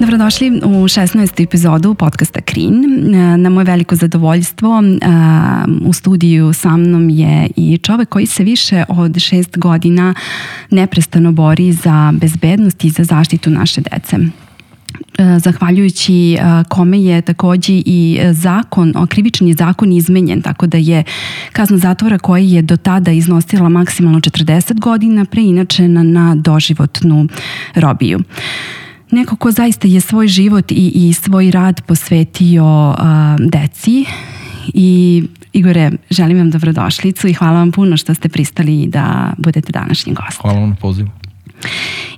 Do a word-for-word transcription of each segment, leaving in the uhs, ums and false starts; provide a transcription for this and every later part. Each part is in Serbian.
Dobrodošli u šesnaestu epizodu podcasta Krin. Na moje veliko zadovoljstvo u studiju sa mnom je i čovek koji se više od šest godina neprestano bori za bezbednost i za zaštitu naše dece. Zahvaljujući kome je takođe i zakon, krivični zakon izmenjen, tako da je kazna zatvora koja je do tada iznosila maksimalno četrdeset godina preinačena na doživotnu robiju. Neko ko zaista je svoj život i, i svoj rad posvetio uh, deci. I Igore, želim vam dobrodošlicu i hvala vam puno što ste pristali da budete današnji gost. Hvala vam na pozivu.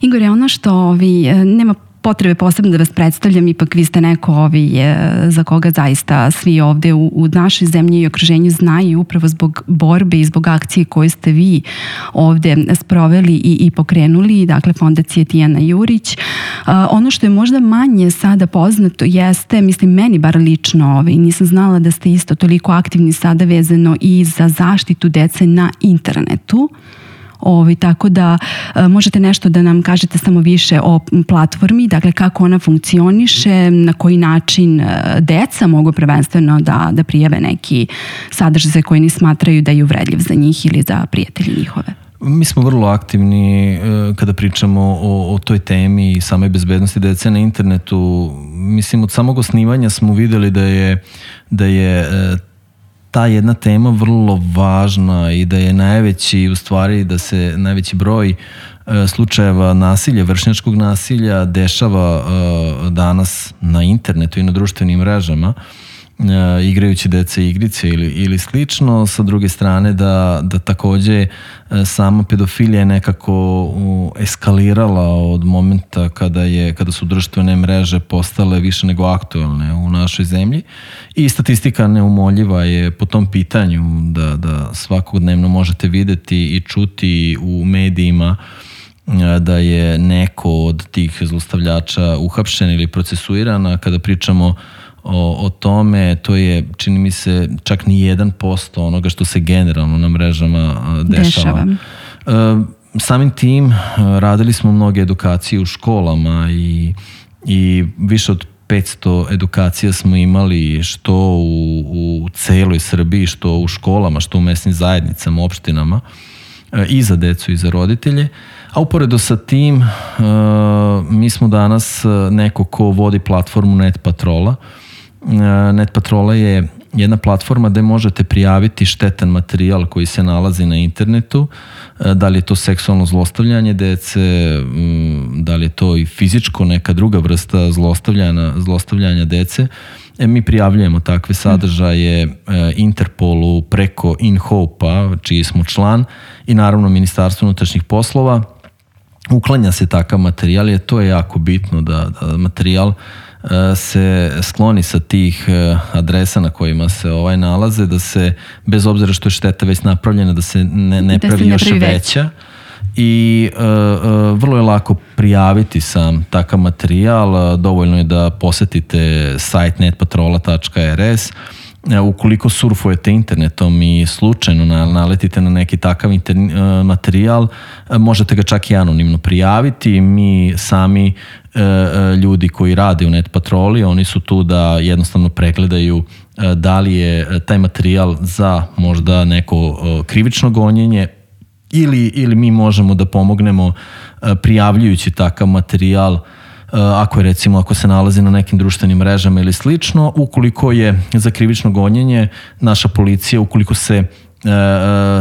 Igore, ono što ovi, nema potrebe posebno da vas predstavljam, ipak vi ste neko ovi, za koga zaista svi ovde u, u našoj zemlji i okruženju znaju upravo zbog borbe i zbog akcije koje ste vi ovde sproveli i, i pokrenuli, dakle Fondacije Tijana Jurić. Uh, ono što je možda manje sada poznato jeste, mislim meni bar lično, ovaj, nisam znala da ste isto toliko aktivni sada vezano i za zaštitu dece na internetu. Ovi, tako da e, možete nešto da nam kažete samo više o platformi, dakle kako ona funkcioniše, na koji način e, deca mogu prvenstveno da, da prijave neki sadržaj koji ni smatraju da je uvredljiv za njih ili za prijatelji njihove. Mi smo vrlo aktivni e, kada pričamo o, o toj temi i samoj bezbednosti dece na internetu. Mislim, od samog osnivanja smo videli da je, da je e, ta jedna tema vrlo važna i da je najveći, u stvari da se najveći broj e, slučajeva nasilja, vršnjačkog nasilja dešava e, danas na internetu i na društvenim mrežama, e, igrajući dece igrice ili, ili slično. Sa druge strane da, da takođe e, sama pedofilija je nekako u, eskalirala od momenta kada, je, kada su društvene mreže postale više nego aktuelne u našoj zemlji. I statistika neumoljiva je po tom pitanju da, da svakodnevno možete videti i čuti u medijima da je neko od tih zlostavljača uhapšen ili procesuiran. Kada pričamo o, o tome, to je, čini mi se, čak ni jedan posto onoga što se generalno na mrežama dešava. dešava. Samim tim radili smo mnoge edukacije u školama i, i više od petsto edukacija smo imali što u, u celoj Srbiji, što u školama, što u mesnim zajednicama, opštinama, i za decu i za roditelje. A uporedo sa tim, mi smo danas neko ko vodi platformu Net Patrola. Net Patrola je jedna platforma gde možete prijaviti štetan materijal koji se nalazi na internetu, da li je to seksualno zlostavljanje dece, da li je to i fizičko, neka druga vrsta zlostavljanja, zlostavljanja dece. E, mi prijavljujemo takve sadržaje Interpolu preko InHope-a, čiji smo član, i naravno Ministarstvo unutrašnjih poslova. Uklanja se takav materijal, jer to je jako bitno da, da materijal se skloni sa tih adresa na kojima se ovaj nalaze, da se, bez obzira što je šteta već napravljena, da se ne, ne pravi još ne pravi veća. I uh, uh, vrlo je lako prijaviti sam takav materijal. Dovoljno je da posetite sajt net patrola tačka er es. Ukoliko surfujete internetom i slučajno naletite na neki takav inter- materijal, možete ga čak i anonimno prijaviti. Mi sami ljudi koji rade u Net Patroli, oni su tu da jednostavno pregledaju da li je taj materijal za možda neko krivično gonjenje ili, ili mi možemo da pomognemo prijavljujući takav materijal ako je recimo, ako se nalazi na nekim društvenim mrežama ili slično. Ukoliko je za krivično gonjenje, naša policija, ukoliko se e,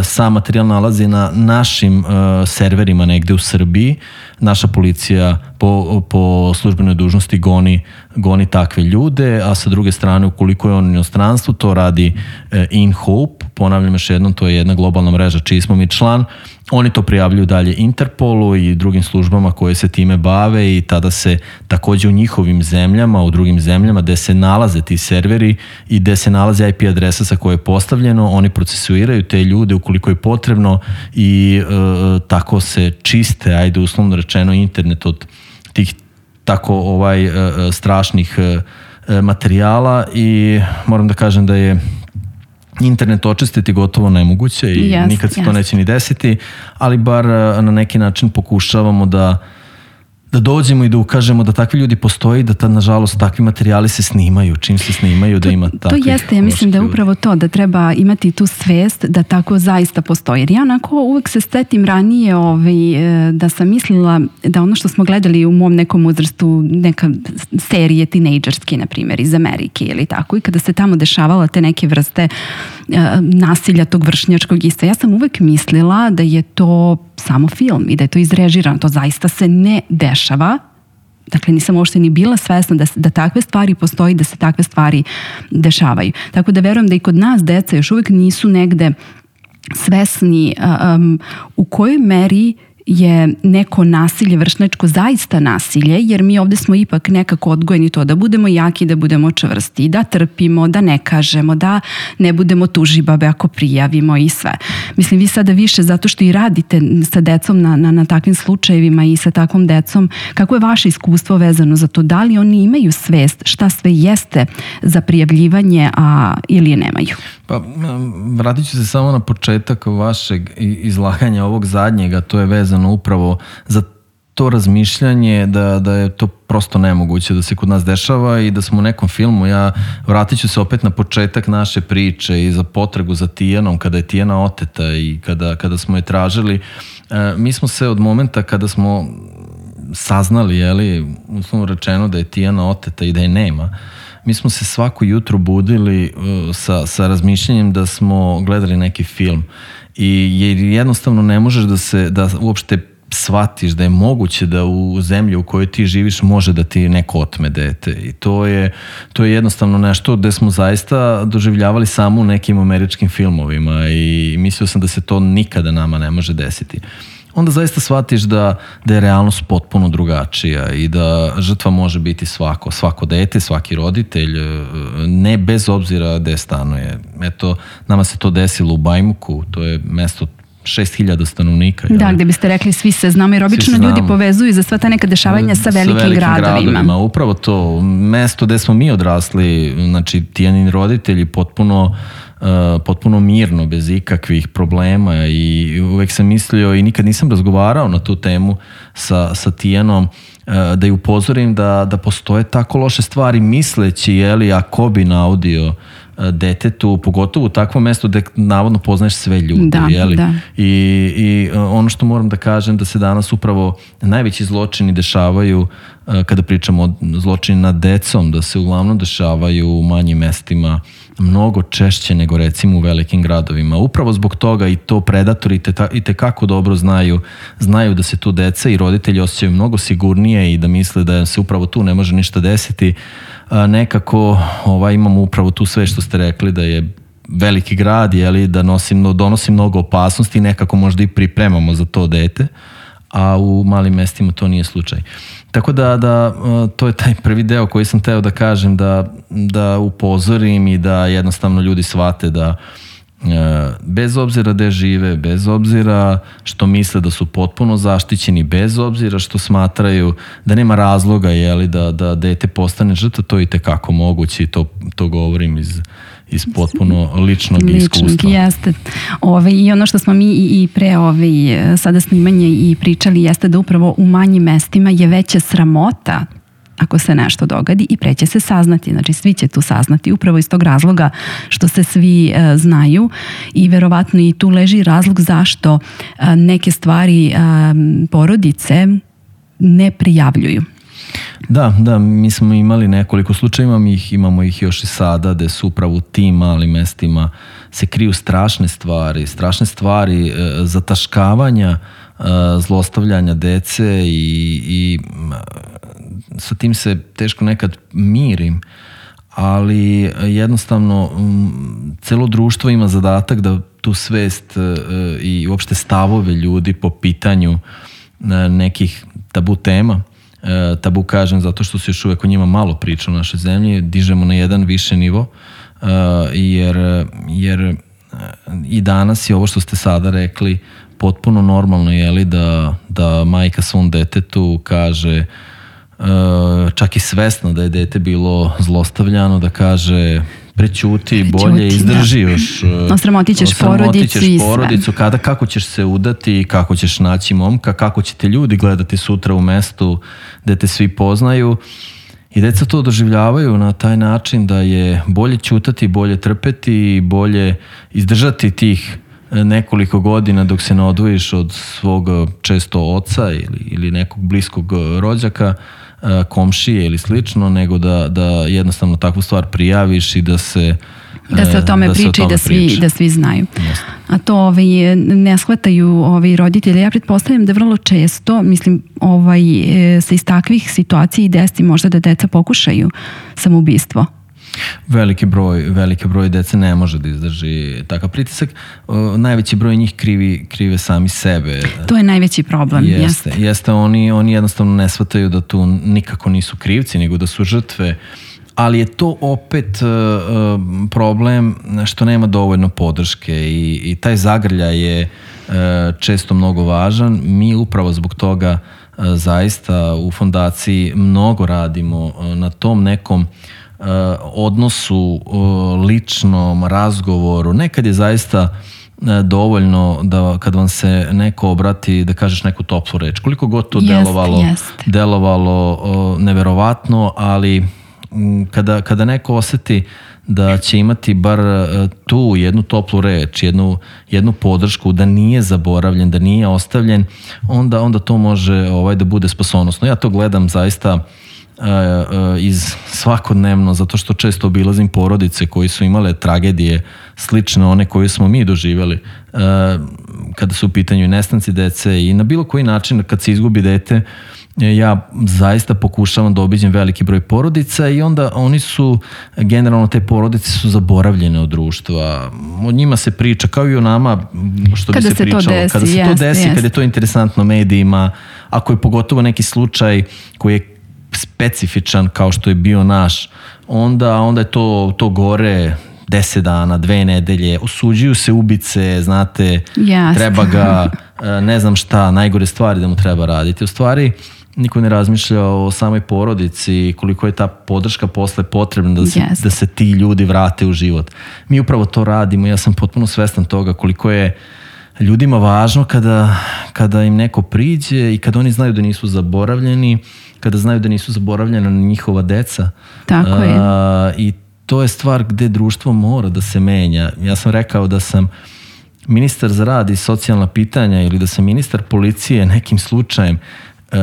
sam materijal nalazi na našim e, serverima negde u Srbiji, naša policija po, po službenoj dužnosti goni, goni takve ljude, a sa druge strane, ukoliko je on u inostranstvu, to radi e, InHope. Ponavljam još jednom, to je jedna globalna mreža čiji smo mi član. Oni to prijavljuju dalje Interpolu i drugim službama koje se time bave i tada se takođe u njihovim zemljama, u drugim zemljama gde se nalaze ti serveri i gde se nalaze I P adresa sa koje je postavljeno, oni procesuiraju te ljude ukoliko je potrebno i e, tako se čiste, ajde uslovno rečeno, internet od tih tako ovaj e, strašnih e, materijala. I moram da kažem da je internet očistiti gotovo nemoguće i yes, nikad se yes. to neće ni desiti, ali bar na neki način pokušavamo da da dođemo i da ukažemo da takvi ljudi postoji, da ta, nažalost, takvi materijali se snimaju, čim se snimaju, da ima takvih. To jeste, ja mislim da je upravo to, da treba imati tu svest da tako zaista postoji. Jer ja onako uvek se setim ranije ovaj, da sam mislila da ono što smo gledali u mom nekom uzrastu, neka serije tinejdžerske, na primjer, iz Amerike ili tako, i kada se tamo dešavala te neke vrste uh, nasilja tog vršnjačkog isto, ja sam uvek mislila da je to samo film i da je to izrežirano, to zaista se ne dešava. Dakle, nisam uopšte ni bila svesna da, da takve stvari postoji, da se takve stvari dešavaju. Tako da verujem da i kod nas deca još uvek nisu negde svesni um, u kojoj meri je neko nasilje, vršnjačko zaista nasilje, jer mi ovde smo ipak nekako odgojeni to da budemo jaki, da budemo čvrsti, da trpimo, da ne kažemo, da ne budemo tužibabe ako prijavimo i sve. Mislim, vi sada više zato što i radite sa decom na, na, na takvim slučajevima i sa takvom decom, kako je vaše iskustvo vezano za to? Da li oni imaju svest šta sve jeste za prijavljivanje, a ili je nemaju? Pa, vratit ću se samo na početak vašeg izlaganja ovog zadnjega, to je vezano upravo za to razmišljanje da, da je to prosto nemoguće da se kod nas dešava i da smo u nekom filmu. Ja vratit ću se opet na početak naše priče i za potragu za Tijanom, kada je Tijana oteta i kada, kada smo je tražili. E, mi smo se od momenta kada smo saznali, jeli, uslovno rečeno da je Tijana oteta i da je nema, mi smo se svako jutro budili uh, sa, sa razmišljanjem da smo gledali neki film i jer jednostavno ne možeš da se, da uopšte shvatiš da je moguće da u zemlji u kojoj ti živiš može da ti neko otme dete i to je, to je jednostavno nešto gde smo zaista doživljavali samo u nekim američkim filmovima i mislio sam da se to nikada nama ne može desiti. Onda zaista shvatiš da, da je realnost potpuno drugačija i da žrtva može biti svako, svako dete, svaki roditelj, ne bez obzira gde stanuje. Eto, nama se to desilo u Bajmuku, to je mesto šest hiljada stanovnika. Da, jel? Gde biste rekli svi se znamo, jer obično ljudi povezuju za sva ta neka dešavanja sa velikim, sa velikim gradovima. gradovima. Upravo to, mesto gde smo mi odrasli, znači Tijanini roditelji potpuno Uh, potpuno mirno, bez ikakvih problema i uvek sam mislio i nikad nisam razgovarao na tu temu sa, sa Tijanom uh, da ju upozorim da, da postoje tako loše stvari misleći, jeli, ako bi naudio uh, detetu, pogotovo u takvom mestu gde navodno poznaješ sve ljude, da, jeli? Da. I, i uh, ono što moram da kažem da se danas upravo najveći zločini dešavaju uh, kada pričamo o zločini nad decom, da se uglavnom dešavaju u manjim mestima mnogo češće nego recimo u velikim gradovima. Upravo zbog toga i to predatori i tekako dobro znaju, znaju da se tu deca i roditelji osjećaju mnogo sigurnije i da misle da se upravo tu ne može ništa desiti. A nekako ovaj, imamo upravo tu sve što ste rekli da je veliki grad, jeli, da nosi, donosi mnogo opasnosti i nekako možda i pripremamo za to dete, a u malim mestima to nije slučaj. Tako da, da to je taj prvi deo koji sam teo da kažem, da, da upozorim i da jednostavno ljudi shvate da bez obzira gde žive, bez obzira što misle da su potpuno zaštićeni, bez obzira što smatraju da nema razloga, jeli, da, da dete postane žrtva, to je i tekako moguće i to, to govorim iz iz potpuno ličnog, ličnog iskustva. Jeste. Ove, I ono što smo mi i, i pre ove, sada snimanje i pričali jeste da upravo u manjim mestima je veća sramota ako se nešto dogadi i pre će se saznati. Znači svi će tu saznati upravo iz tog razloga što se svi e, znaju i verovatno i tu leži razlog zašto e, neke stvari e, porodice ne prijavljuju. Da, da, mi smo imali nekoliko slučajeva, mi ih, imamo ih još i sada, gde su upravo u tim malim mestima se kriju strašne stvari, strašne stvari e, zataškavanja, e, zlostavljanja dece i, i e, sa tim se teško nekad mirim, ali jednostavno m, celo društvo ima zadatak da tu svest e, i uopšte stavove ljudi po pitanju e, nekih tabu tema, E, tabu kažem zato što se još uvek o njima malo priča u našoj zemlji, dižemo na jedan više nivo e, jer, jer i danas je ovo što ste sada rekli potpuno normalno, jeli, da, da majka svom detetu kaže e, čak i svesno da je dete bilo zlostavljano, da kaže prećuti, bolje izdrži još. Osramotit ćeš porodicu i sve. porodicu, kada, kako ćeš se udati, kako ćeš naći momka, kako će te ljudi gledati sutra u mestu gde te svi poznaju. I deca to doživljavaju na taj način da je bolje ćutati, bolje trpeti, bolje izdržati tih nekoliko godina dok se ne odvojiš od svog često oca ili, ili nekog bliskog rođaka, komšije ili slično, nego da, da jednostavno takvu stvar prijaviš i da se da se o tome da priča i da svi, priča. da svi znaju. Jasne. A to ovaj, ne shvataju ovaj, roditelji. Ja pretpostavljam da vrlo često, mislim, ovaj, se iz takvih situacija i desi možda da deca pokušaju samoubistvo. Veliki broj, veliki broj dece ne može da izdrži takav pritisak. O, najveći broj njih krivi, krive sami sebe. To je najveći problem. Jeste, jeste. jeste oni, oni jednostavno ne shvataju da tu nikako nisu krivci, nego da su žrtve. Ali je to opet uh, problem što nema dovoljno podrške i, i taj zagrljaj je uh, često mnogo važan. Mi upravo zbog toga uh, zaista u fondaciji mnogo radimo uh, na tom nekom uh, odnosu, uh, ličnom razgovoru. Nekad je zaista uh, dovoljno da kad vam se neko obrati da kažeš neku toplu reč. Koliko god to jest, delovalo, jest. delovalo uh, neverovatno, ali Kada, kada neko oseti da će imati bar tu jednu toplu reč, jednu, jednu podršku, da nije zaboravljen, da nije ostavljen, onda, onda to može ovaj, da bude spasonosno. Ja to gledam zaista uh, uh, iz svakodnevno, zato što često obilazim porodice koji su imale tragedije slične one koje smo mi doživjeli uh, kada su u pitanju nestanci dece i na bilo koji način kad se izgubi dete. Ja zaista pokušavam da obiđem veliki broj porodica i onda oni su, generalno te porodice su zaboravljene od društva. O njima se priča kao i o nama što kada bi se, se pričalo. Desi, kada se jest, to desi, jest. kada je to interesantno medijima, ako je pogotovo neki slučaj koji je specifičan kao što je bio naš, onda, onda je to, to gore deset dana, dve nedelje, osuđuju se ubice, znate, yes. treba ga, ne znam šta, najgore stvari da mu treba raditi. U stvari, niko ne razmišlja o samoj porodici, koliko je ta podrška posle potrebna da se, yes. da se ti ljudi vrate u život. Mi upravo to radimo, ja sam potpuno svestan toga koliko je ljudima važno kada, kada im neko priđe i kada oni znaju da nisu zaboravljeni, kada znaju da nisu zaboravljena njihova deca. Tako je. A, I to je stvar gde društvo mora da se menja. Ja sam rekao da sam ministar za rad i socijalna pitanja ili da sam ministar policije nekim slučajem Uh,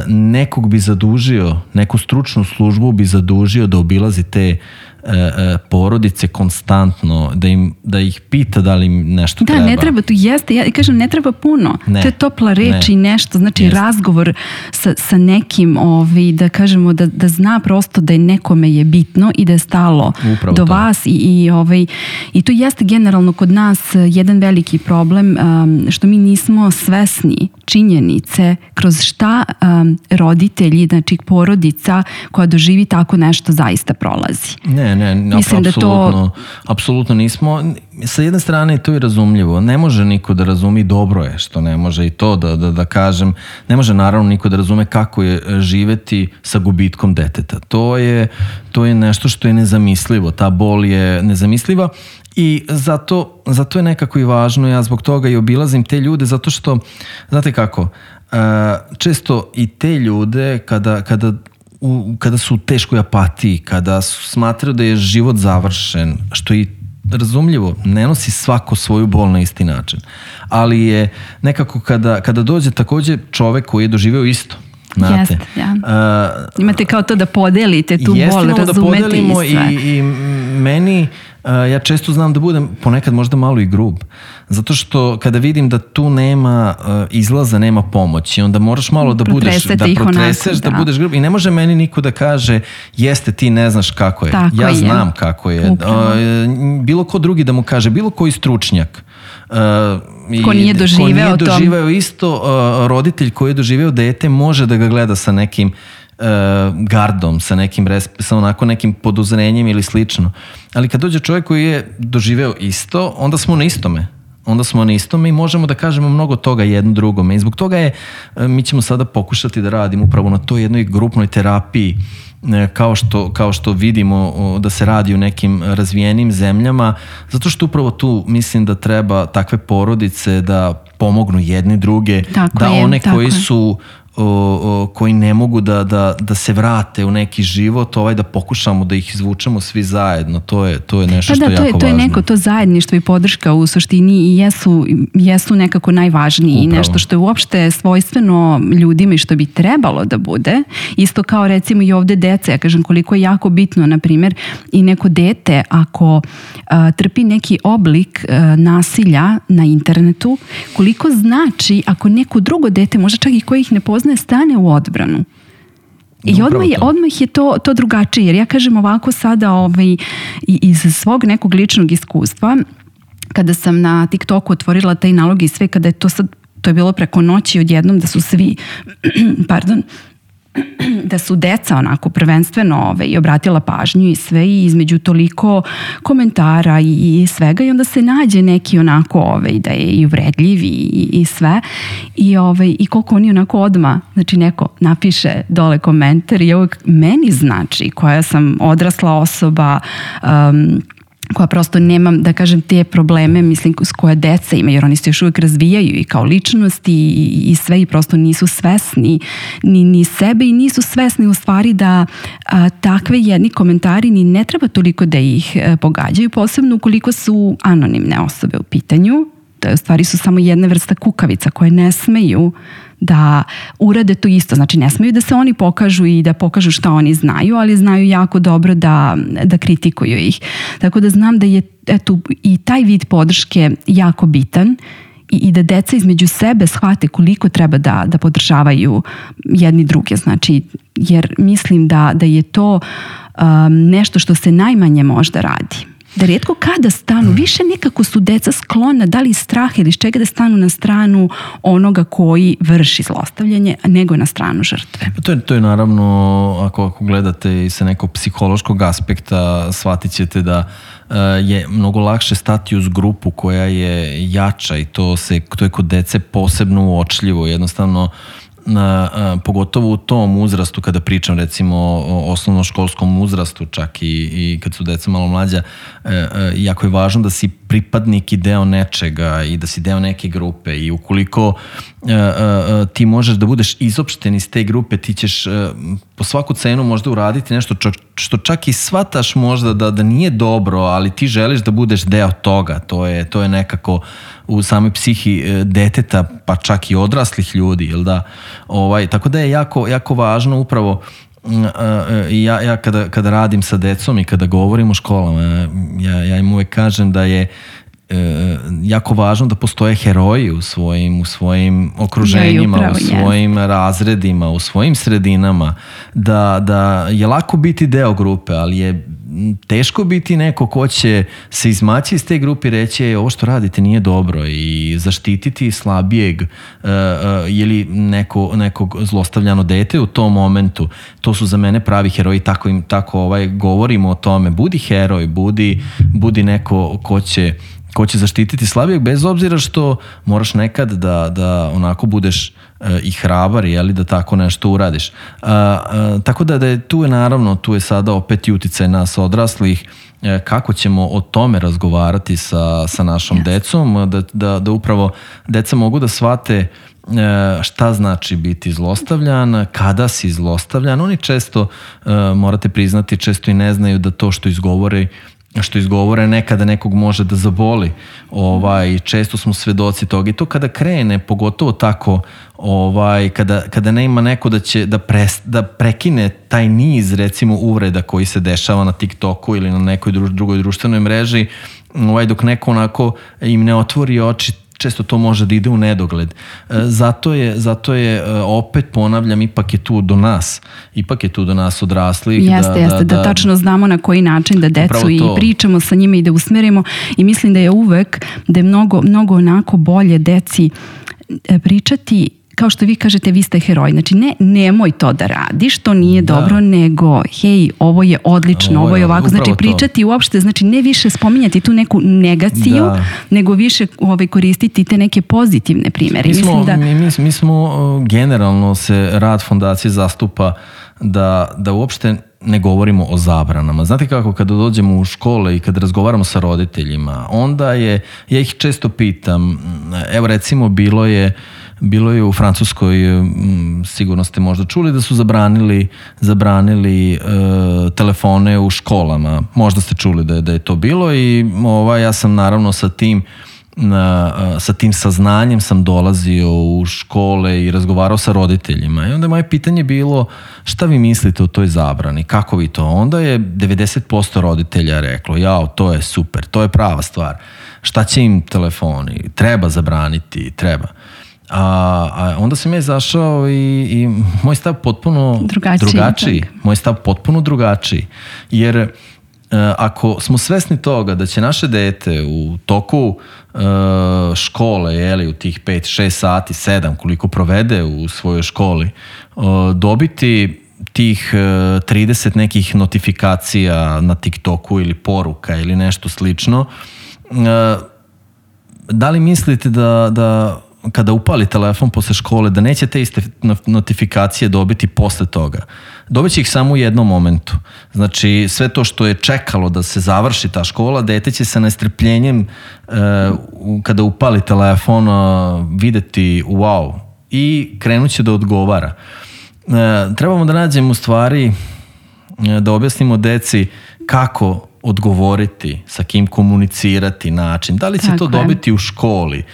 nekog bi zadužio, neku stručnu službu bi zadužio da obilazi te uh, uh, porodice konstantno, da, im, da ih pita da li im nešto da, treba. Da, ne treba, tu jeste, ja kažem, ne treba puno. Ne, to je topla reč ne. i nešto, znači jeste. razgovor sa, sa nekim, ovi, da kažemo, da, da zna prosto da je nekome je bitno i da je stalo Upravo do to. vas i, i, ovaj, i to jeste generalno kod nas jedan veliki problem, um, što mi nismo svesni činjenice kroz šta um, roditelji, znači porodica koja doživi tako nešto zaista prolazi. Ne, ne, Mislim apsolutno, da to... apsolutno nismo. Sa jedne strane to je razumljivo. Ne može niko da razumi, dobro je što ne može i to da, da, da kažem. Ne može naravno niko da razume kako je živeti sa gubitkom deteta. To je, to je nešto što je nezamislivo. Ta bol je nezamisliva. I zato, zato je nekako i važno, ja zbog toga i obilazim te ljude, zato što, znate kako, često i te ljude kada, kada, u, kada su u teškoj apatiji, kada su, smatraju da je život završen, što i razumljivo, ne nosi svako svoju bol na isti način, ali je nekako kada, kada dođe takođe čovek koji je doživeo isto, znate. Jeste, ja. Uh, Imate kao to da podelite tu bol, razumete da podelimo i sve. I, i meni, uh, ja često znam da budem ponekad možda malo i grub. Zato što kada vidim da tu nema uh, izlaza, nema pomoći, onda moraš malo da budeš, da protreseš, onako, da. da budeš grub. I ne može meni niko da kaže, jeste ti ne znaš kako je. Tako ja je. znam kako je. Uh, bilo ko drugi da mu kaže, bilo koji stručnjak. Uh, ko nije doživeo, ko nije doživeo isto, uh, roditelj koji je doživeo dete može da ga gleda sa nekim uh, gardom, sa nekim sa onako nekim poduzrenjem ili slično. Ali kad dođe čovjek koji je doživeo isto, onda smo na istome. onda smo na istome i možemo da kažemo mnogo toga jedno drugome. I zbog toga je, mi ćemo sada pokušati da radimo upravo na toj jednoj grupnoj terapiji, kao što, kao što vidimo da se radi u nekim razvijenim zemljama, zato što upravo tu mislim da treba takve porodice da pomognu jedni druge, tako da je, one koji je. su O, o, koji ne mogu da, da, da se vrate u neki život, ovaj da pokušamo da ih izvučemo svi zajedno, to je, to je nešto pa što da, je to jako je, važno. to je neko to zajedništvo i podrška u suštini i jesu, jesu nekako najvažniji i nešto što je uopšte svojstveno ljudima i što bi trebalo da bude. Isto kao recimo i ovde deca, ja kažem koliko je jako bitno, na primjer, i neko dete ako a, trpi neki oblik a, nasilja na internetu, koliko znači ako neko drugo dete, možda čak i koji ih ne poznaje, stane u odbranu. I odmah je, odmah je to, to drugačije, jer ja kažem ovako sada ovaj, iz svog nekog ličnog iskustva, kada sam na TikToku otvorila taj nalog i sve, kada je to sad, to je bilo preko noći odjednom da su svi, pardon, da su deca onako prvenstveno ovaj, obratila pažnju i sve i između toliko komentara i, i svega i onda se nađe neki onako ovaj, da je i uvredljiv i, i sve i, ovaj, i koliko oni onako odma, znači neko napiše dole komentar i ovog meni znači koja sam odrasla osoba, um, koja prosto nemam, da kažem, te probleme, mislim, s koje deca imaju, jer oni se još uvijek razvijaju i kao ličnosti i, i sve i prosto nisu svesni ni, ni sebe i nisu svesni u stvari da a, takve jedni komentari ni ne treba toliko da ih a, pogađaju, posebno ukoliko su anonimne osobe u pitanju, da u stvari su samo jedna vrsta kukavica koje ne smeju da urade to isto, znači ne smeju da se oni pokažu i da pokažu šta oni znaju, ali znaju jako dobro da, da kritikuju ih. Tako da znam da je eto, i taj vid podrške jako bitan i, i da deca između sebe shvate koliko treba da, da podržavaju jedni druge, znači jer mislim da, da je to um, nešto što se najmanje možda radi. Da rijetko kada stanu, više nekako su deca sklona, da li iz straha ili iz čega da stanu na stranu onoga koji vrši zlostavljanje, nego na stranu žrtve. To je, to je naravno, ako, ako gledate i sa nekog psihološkog aspekta, shvatit ćete da uh, je mnogo lakše stati uz grupu koja je jača i to, se, to je kod dece posebno uočljivo, jednostavno Na, a, pogotovo u tom uzrastu kada pričam recimo o osnovnoškolskom uzrastu čak i, i kad su deca malo mlađa, e, e, jako je važno da si pripadnik i deo nečega i da si deo neke grupe i ukoliko e, e, ti možeš da budeš izopšten iz te grupe, ti ćeš e, po svaku cenu možda uraditi nešto čo, što čak i shvataš možda da, da nije dobro, ali ti želiš da budeš deo toga, to je, to je nekako u samoj psihi deteta, pa čak i odraslih ljudi, jel da? Ovaj, tako da je jako, jako važno upravo ja, ja kada, kada radim sa decom i kada govorim o školama, ja, ja im uvek kažem da je e, jako važno da postoje heroji u svojim, u svojim okruženjima, ja, upravo, u svojim yes. razredima, u svojim sredinama, da, da je lako biti deo grupe, ali je teško biti neko ko će se izmaći iz te grupe i reći ovo što radite nije dobro i zaštititi slabijeg uh, uh, ili neko, nekog zlostavljano dete u tom momentu. To su za mene pravi heroji, tako, im, tako ovaj, govorimo o tome. Budi heroj, budi, budi neko ko će ko će zaštititi slabijeg, bez obzira što moraš nekad da, da onako budeš uh, i hrabar, jeli, da tako nešto uradiš. Uh, uh, tako da, da je, tu je naravno, tu je sada opet i uticaj nas odraslih, uh, kako ćemo o tome razgovarati sa, sa našom yes. decom, da, da, da upravo deca mogu da shvate uh, šta znači biti zlostavljan, kada si zlostavljan. Oni često, uh, morate priznati, često i ne znaju da to što izgovore što izgovore nekada nekog može da zaboli. Ovaj, često smo svedoci toga i to kada krene, pogotovo tako, ovaj, kada, kada ne ima neko da će da, pres, da prekine taj niz recimo uvreda koji se dešava na TikToku ili na nekoj druž, drugoj društvenoj mreži, ovaj, dok neko onako im ne otvori oči, često to može da ide u nedogled. Zato je, zato je opet ponavljam, ipak je tu do nas. Ipak je tu do nas odraslih. Jeste, da, jeste, da, da, da tačno znamo na koji način da decu i pričamo sa njima i da usmerimo i mislim da je uvek, da je mnogo, mnogo onako bolje deci pričati kao što vi kažete, vi ste heroj. Znači, ne, nemoj to da radiš, to nije da. dobro, nego, hej, ovo je odlično, ovo je, ovo je ovako. Znači, pričati to. Uopšte, znači, ne više spominjati tu neku negaciju, da. nego više ovaj, koristiti te neke pozitivne primere. Mi smo, Mislim da... mi, mi, mi smo generalno se rad fondacije zastupa da, da uopšte ne govorimo o zabranama. Znate kako, kada dođemo u škole i kada razgovaramo sa roditeljima, onda je, ja ih često pitam, evo recimo bilo je Bilo je u Francuskoj, sigurno ste možda čuli, da su zabranili, zabranili e, telefone u školama. Možda ste čuli da je, da je to bilo i ovaj, ja sam naravno sa tim, na, sa tim saznanjem sam dolazio u škole i razgovarao sa roditeljima. I onda je moje pitanje bilo, šta vi mislite o toj zabrani? Kako vi to? Onda je devedeset posto roditelja reklo, jao, to je super, to je prava stvar. Šta će im telefoni? Treba zabraniti, treba. A, a onda sam ja izašao i, i moj stav potpuno drugačiji, drugačiji. Moj stav potpuno drugačiji. Jer e, ako smo svesni toga da će naše dete u toku e, škole, jeli, u tih pet, šest sati, sedam, koliko provede u svojoj školi, e, dobiti tih e, trideset nekih notifikacija na TikToku ili poruka ili nešto slično, e, da li mislite da, da kada upali telefon posle škole, da neće te iste notifikacije dobiti posle toga? Dobiće ih samo u jednom momentu. Znači, sve to što je čekalo da se završi ta škola, dete će sa nestrpljenjem e, kada upali telefon videti wow i krenut će da odgovara. E, trebamo da nađemo u stvari, da objasnimo deci kako odgovoriti, sa kim komunicirati, način. Da li će Tako to dobiti je. u školi? E,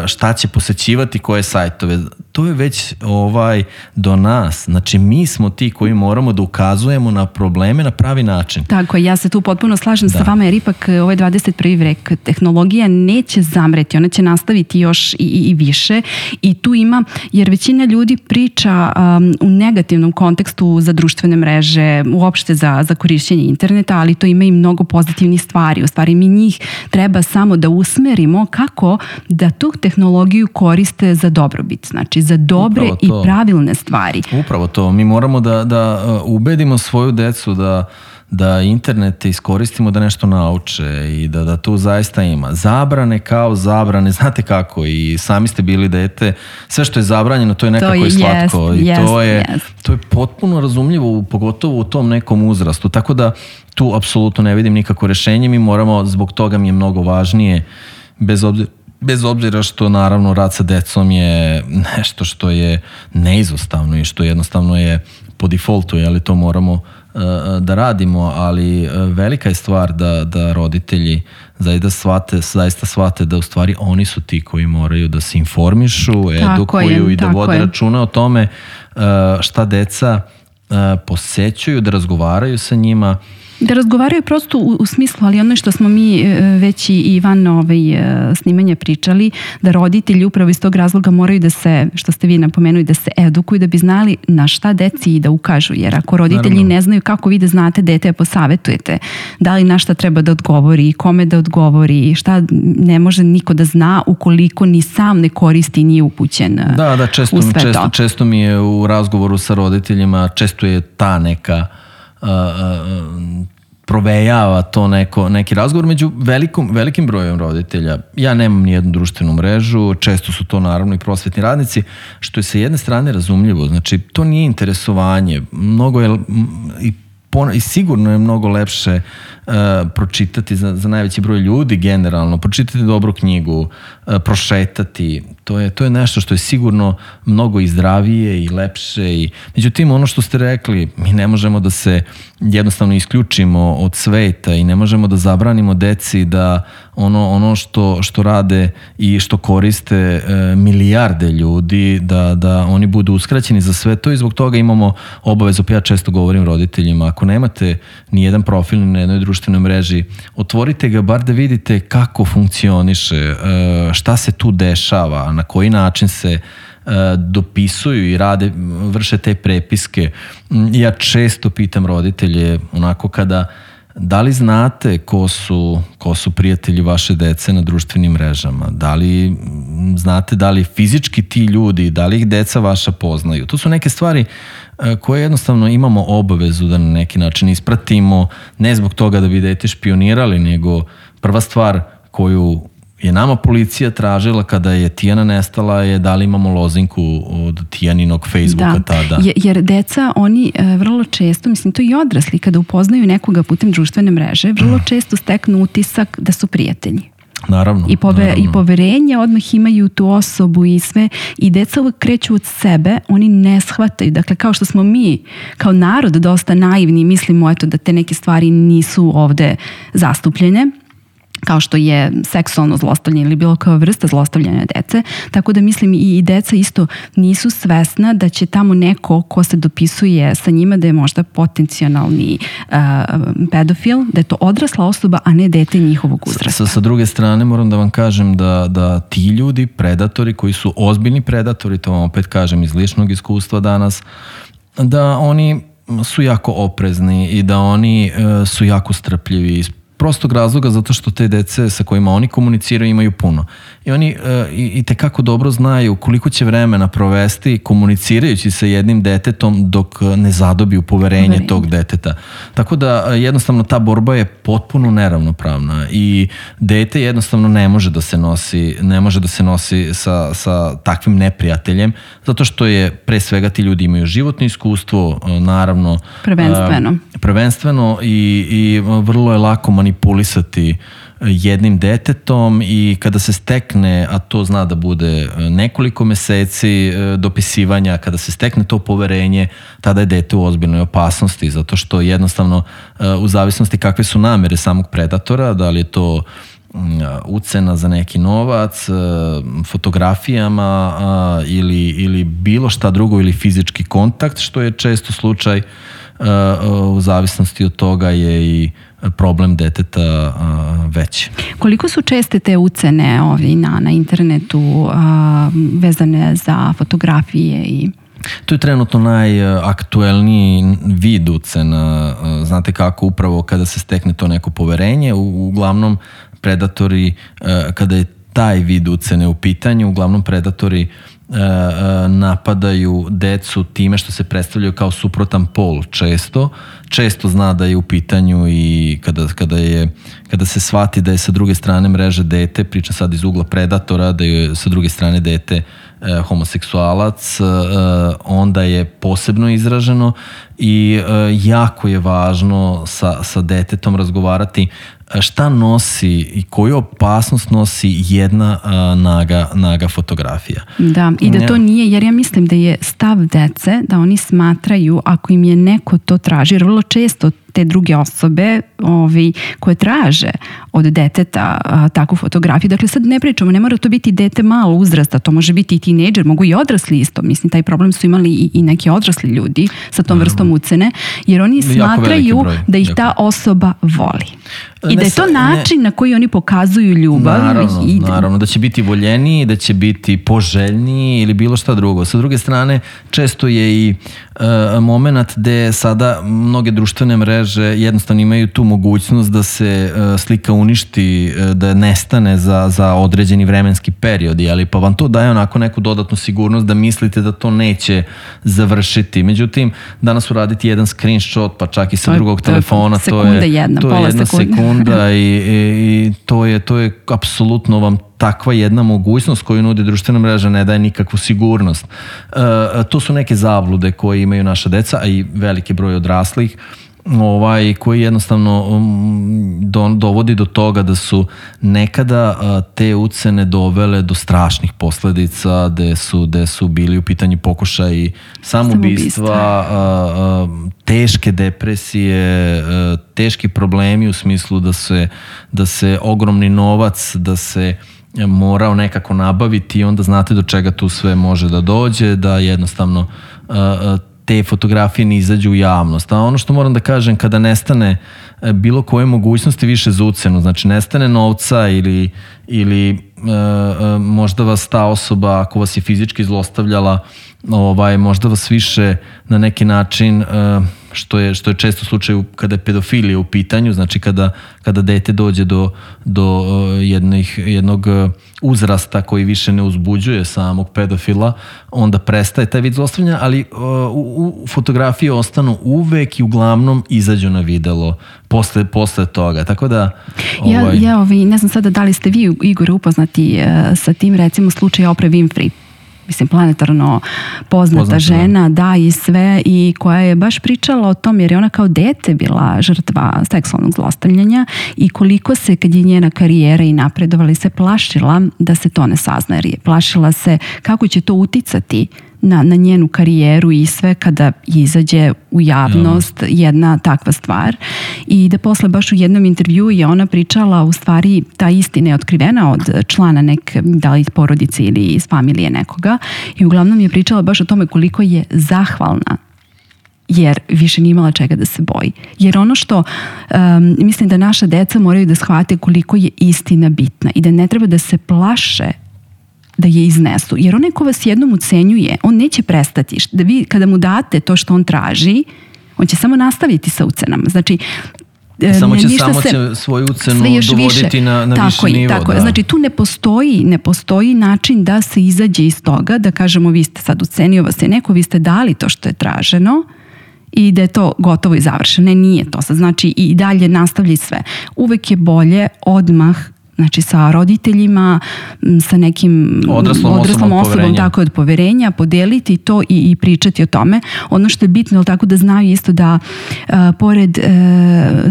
šta će posećivati, koje sajtove? To je već ovaj do nas. Znači, mi smo ti koji moramo da ukazujemo na probleme na pravi način. Tako je, ja se tu potpuno slažem da. sa vama, jer ipak ovaj dvadeset prvi vek tehnologija neće zamreti, ona će nastaviti još i, i više i tu ima, jer većina ljudi priča um, u negativnom kontekstu za društvene mreže, uopšte za, za korišćenje interneta, ali to ima i mnogo pozitivnih stvari. U stvari, mi njih treba samo da usmerimo kako da tu tehnologiju koriste za dobrobit, znači za dobre i pravilne stvari. Upravo to. Mi moramo da, da ubedimo svoju decu da, da internet iskoristimo da nešto nauče i da, da tu zaista ima. Zabrane kao zabrane, znate kako, i sami ste bili dete, sve što je zabranjeno, to je nekako to je, i slatko. Jest, I jest, to, je, to je potpuno razumljivo, pogotovo u tom nekom uzrastu. Tako da tu apsolutno ne vidim nikako rešenje. Mi moramo, zbog toga mi je mnogo važnije, bez obzira Bez obzira što naravno rad sa decom je nešto što je neizostavno i što jednostavno je po defaultu, ali to moramo uh, da radimo, ali uh, velika je stvar da, da roditelji zaista shvate, zaista shvate da u stvari oni su ti koji moraju da se informišu, edukuju i da vode je. računa o tome uh, šta deca uh, posećuju, da razgovaraju sa njima. Da razgovaraju prosto u, u smislu, ali ono što smo mi već i van ovaj, snimanja pričali, da roditelji upravo iz tog razloga moraju da se, što ste vi napomenuli, da se edukuju, da bi znali na šta deci i da ukažu. Jer ako roditelji Naravno. ne znaju kako vi da znate dete, posavetujete, da li na šta treba da odgovori, kome da odgovori, šta ne može niko da zna ukoliko ni sam ne koristi i nije upućen da, da, često, u sve često, to. Često mi je u razgovoru sa roditeljima, često je ta neka Uh, uh, provejava to neko, neki razgovor među velikom, velikim brojem roditelja. Ja nemam ni jednu društvenu mrežu, često su to naravno i prosvetni radnici, što je sa jedne strane razumljivo. Znači, to nije interesovanje. Mnogo je i, pon, i sigurno je mnogo lepše uh, pročitati za, za najveći broj ljudi generalno, pročitati dobru knjigu, uh, prošetati. To je, to je nešto što je sigurno mnogo i zdravije i lepše. I, međutim, ono što ste rekli, mi ne možemo da se jednostavno isključimo od sveta i ne možemo da zabranimo deci da ono, ono što, što rade i što koriste e, milijarde ljudi, da, da oni budu uskraćeni za sve to i zbog toga imamo obavezu. Ja često govorim roditeljima, ako nemate ni jedan profil na jednoj društvenoj mreži, otvorite ga bar da vidite kako funkcioniše, e, šta se tu dešava, na koji način se uh, dopisuju i rade, vrše te prepiske. Ja često pitam roditelje, onako kada, uh, Da li znate ko su, ko su prijatelji vaše dece na društvenim mrežama? Da li znate da li fizički ti ljudi, da li ih deca vaša poznaju? To su neke stvari koje jednostavno imamo obavezu da na neki način ispratimo, ne zbog toga da bi dete špionirali, nego prva stvar koju je nama policija tražila kada je Tijana nestala je da li imamo lozinku od Tijaninog Facebooka da, tada. Jer deca, oni e, vrlo često, mislim to i odrasli, kada upoznaju nekoga putem društvene mreže, vrlo često steknu utisak da su prijatelji. Naravno. I, pove, naravno. I poverenje odmah imaju tu osobu i sve. I deca uvek kreću od sebe, oni ne shvataju. Dakle, kao što smo mi, kao narod, dosta naivni, mislimo eto, da te neke stvari nisu ovde zastupljene, kao što je seksualno zlostavljanje ili bilo koja vrsta zlostavljanja dece. Tako da mislim i deca isto nisu svesna da će tamo neko ko se dopisuje sa njima da je možda potencijalni uh, pedofil, da je to odrasla osoba, a ne dete njihovog uzrasta. Sa, sa druge strane moram da vam kažem da, da ti ljudi, predatori koji su ozbiljni predatori, to vam opet kažem iz ličnog iskustva danas, da oni su jako oprezni i da oni uh, su jako strpljivi iz prostog razloga zato što te dece sa kojima oni komuniciraju imaju puno. I oni uh, i, i tekako dobro znaju koliko će vremena provesti komunicirajući sa jednim detetom dok ne zadobiju poverenje, poverenje. tog deteta. Tako da uh, jednostavno ta borba je potpuno neravnopravna i dete jednostavno ne može da se nosi, ne može da se nosi sa, sa takvim neprijateljem zato što je pre svega ti ljudi imaju životno iskustvo, uh, naravno prvenstveno. Uh, prvenstveno i, i vrlo je lako manipulisati jednim detetom i kada se stekne, a to zna da bude nekoliko meseci dopisivanja, kada se stekne to poverenje, tada je dete u ozbiljnoj opasnosti, zato što jednostavno u zavisnosti kakve su namere samog predatora, da li je to ucena za neki novac, fotografijama ili, ili bilo šta drugo ili fizički kontakt, što je često slučaj, u zavisnosti od toga je i problem deteta veći. Koliko su česte te ucene ovi na, na internetu a, vezane za fotografije i... To je trenutno najaktuelniji vid ucena. Znate kako, upravo kada se stekne to neko poverenje, uglavnom predatori, kada je taj vid ucene u pitanju, uglavnom predatori napadaju decu time što se predstavljaju kao suprotan pol često. Često zna da je u pitanju i kada, kada, je, kada se shvati da je sa druge strane mreže dete, pričam sad iz ugla predatora, da je sa druge strane dete eh, homoseksualac, eh, onda je posebno izraženo i eh, jako je važno sa, sa detetom razgovarati šta nosi i koju opasnost nosi jedna a, naga, naga fotografija. Da, i da to nije, jer ja mislim da je stav dece da oni smatraju ako im je neko to traži, jer vrlo često te druge osobe ovi, koje traže od deteta a, takvu fotografiju. Dakle, sad ne pričamo, ne mora to biti dete malo uzrasta, to može biti i tinejdžer, mogu i odrasli isto. Mislim, taj problem su imali i, i neki odrasli ljudi sa tom vrstom ucene, jer oni smatraju da ih ta osoba voli. I da je to način na koji oni pokazuju ljubav. Naravno, i... naravno, da će biti voljeniji, da će biti poželjniji ili bilo šta drugo. Sa druge strane, često je i uh, moment gde sada mnoge društvene mreže jednostavno imaju tu mogućnost da se uh, slika uništi, uh, da nestane za, za određeni vremenski period, ali pa vam to daje onako neku dodatnu sigurnost da mislite da to neće završiti. Međutim, danas uraditi jedan screenshot, pa čak i sa to drugog to telefona, to je jedna, to je jedna sekunda i, i, i to je, to je apsolutno vam takva jedna mogućnost koju nudi društvena mreža, ne daje nikakvu sigurnost. E, to su neke zablude koje imaju naša deca, a i veliki broj odraslih, ovaj, koji jednostavno um, do, dovodi do toga da su nekada uh, te ucene dovele do strašnih posledica, gde su, gde su bili u pitanju pokušaji samoubistva, uh, uh, teške depresije, uh, teški problemi u smislu da se, da se ogromni novac, da se morao nekako nabaviti i onda znate do čega tu sve može da dođe, da jednostavno uh, te fotografije ne izađu u javnost. A ono što moram da kažem, kada nestane bilo koje mogućnosti više za ucenu, znači nestane novca ili, ili e, e, možda vas ta osoba, ako vas je fizički zlostavljala, ovaj, možda vas više na neki način e, što je, što je često slučaj kada je pedofilija u pitanju, znači kada, kada dete dođe do, do jednih, jednog uzrasta koji više ne uzbuđuje samog pedofila, onda prestaje taj vid zlostavljanja, ali u, u fotografije ostanu uvek i uglavnom izađu na videlo posle, posle toga, tako da ovaj... ja, ja ovaj, ne znam sada da li ste vi, Igor, upoznati uh, sa tim, recimo slučaj Oprah Winfrey, mislim planetarno poznata, poznata žena, da. da i sve, i koja je baš pričala o tom, jer je ona kao dete bila žrtva seksualnog zlostavljanja i koliko se, kad je njena karijera i napredovala, se plašila da se to ne sazna, jer je plašila se kako će to uticati na, na njenu karijeru i sve kada izađe u javnost jedna takva stvar, i da posle baš u jednom intervjuu je ona pričala, u stvari ta istina je otkrivena od člana neke, da li porodice ili iz familije nekoga, i uglavnom je pričala baš o tome koliko je zahvalna jer više nije imala čega da se boji. Jer ono što um, mislim da naša deca moraju da shvate koliko je istina bitna i da ne treba da se plaše da je iznesu. Jer onaj ko vas jednom ucenjuje, on neće prestati. Da vi kada mu date to što on traži, on će samo nastaviti sa ucenama. Znači, samo će, samo će se, svoju ucenu dovoditi više. na, na tako viši je, nivo. Tako da. Znači, tu ne postoji, ne postoji način da se izađe iz toga, da kažemo vi ste sad ucenio vas je neko, vi ste dali to što je traženo i da je to gotovo i završeno. Ne, nije to. Znači, i dalje nastavlja sve. Uvek je bolje odmah, znači sa roditeljima, sa nekim odraslom, odraslom osobom, osobom tako od poverenja, podeliti to i, i pričati o tome. Ono što je bitno, tako da znaju isto da uh, pored uh,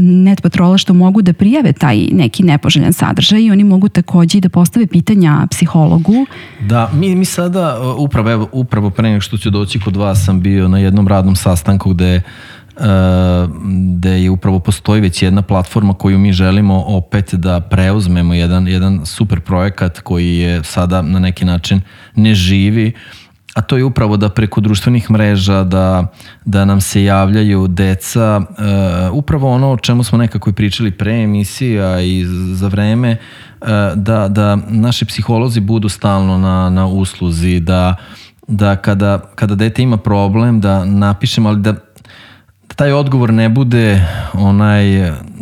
net patrola što mogu da prijave taj neki nepoželjan sadržaj, oni mogu takođe da postave pitanja psihologu. Da, mi, mi sada upravo, evo, upravo pre nego što ću doći kod vas sam bio na jednom radnom sastanku gde gde je upravo postoji već jedna platforma koju mi želimo opet da preuzmemo, jedan, jedan super projekat koji je sada na neki način ne živi, a to je upravo da preko društvenih mreža da, da nam se javljaju deca, uh, upravo ono o čemu smo nekako i pričali pre emisija i za vreme, uh, da, da naši psiholozi budu stalno na, na usluzi, da, da kada, kada dete ima problem da napišemo, ali da taj odgovor ne bude onaj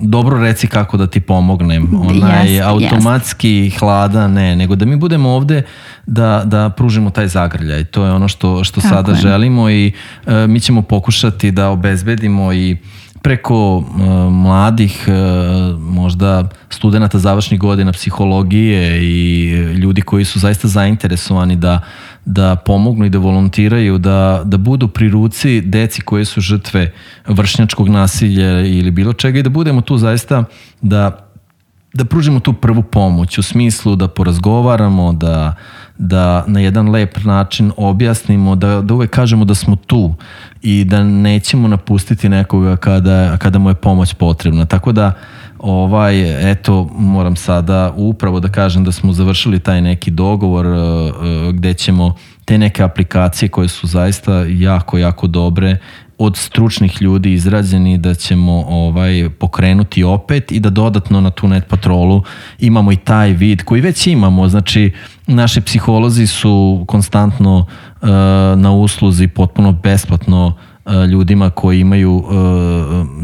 dobro reci kako da ti pomognem, onaj yes, automatski yes. hladan, ne, nego da mi budemo ovde da, da pružimo taj zagrljaj. To je ono što, što sada je. želimo i e, mi ćemo pokušati da obezbedimo i preko uh, mladih, uh, možda studenata završnih godina psihologije i ljudi koji su zaista zainteresovani da, da pomognu i da volontiraju, da, da budu pri ruci deci koje su žrtve vršnjačkog nasilja ili bilo čega i da budemo tu zaista da, da pružimo tu prvu pomoć u smislu da porazgovaramo, da, da na jedan lep način objasnimo, da, da uvek kažemo da smo tu i da nećemo napustiti nekoga kada, kada mu je pomoć potrebna. Tako da, ovaj, eto, moram sada upravo da kažem da smo završili taj neki dogovor uh, gde ćemo te neke aplikacije koje su zaista jako, jako dobre od stručnih ljudi izrađeni da ćemo ovaj pokrenuti opet i da dodatno na tu net patrolu imamo i taj vid koji već imamo, znači naši psiholozi su konstantno uh, na usluzi potpuno besplatno uh, ljudima koji imaju uh,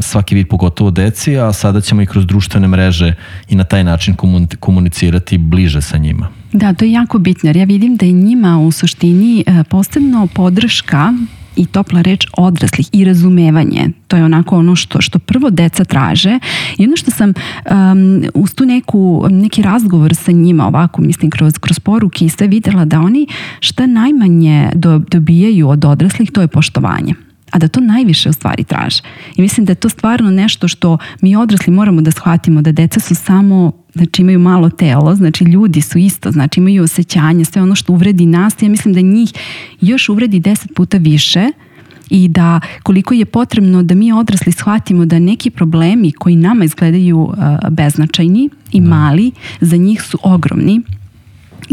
svaki vid, pogotovo deci, a sada ćemo i kroz društvene mreže i na taj način komunicirati bliže sa njima. Da, to je jako bitno jer ja vidim da je njima u suštini uh, posebno podrška i topla reč odraslih i razumevanje. To je onako ono što, što prvo deca traže i ono što sam um, uz tu neku, neki razgovor sa njima ovako, mislim, kroz, kroz poruke i sve videla da oni šta najmanje do, dobijaju od odraslih, to je poštovanje. A da to najviše u stvari traže. I mislim da je to stvarno nešto što mi odrasli moramo da shvatimo, da deca su samo, znači imaju malo telo, znači ljudi su isto, znači imaju osjećanja, sve ono što uvredi nas, ja mislim da njih još uvredi deset puta više i da koliko je potrebno da mi odrasli shvatimo da neki problemi koji nama izgledaju uh, beznačajni i mali, za njih su ogromni.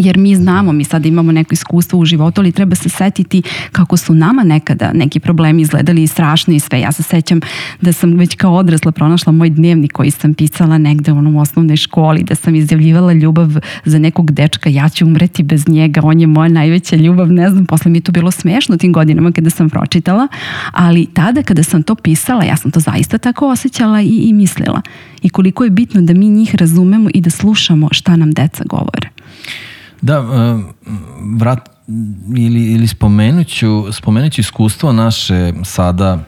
jer mi znamo, mi sad imamo neko iskustvo u životu, ali treba se setiti kako su nama nekada neki problemi izgledali i strašni i sve. Ja se sećam da sam već kao odrasla pronašla moj dnevnik koji sam pisala negde u onom osnovnoj školi, da sam izjavljivala ljubav za nekog dečka, ja ću umreti bez njega, on je moja najveća ljubav, ne znam, posle mi je to bilo smešno tim godinama kada sam pročitala, ali tada kada sam to pisala, ja sam to zaista tako osjećala i, i mislila. I koliko je bitno da mi njih razumemo i da slušamo šta nam deca govore. Da, vrat, ili, ili spomenuću, spomenuću iskustvo naše sada,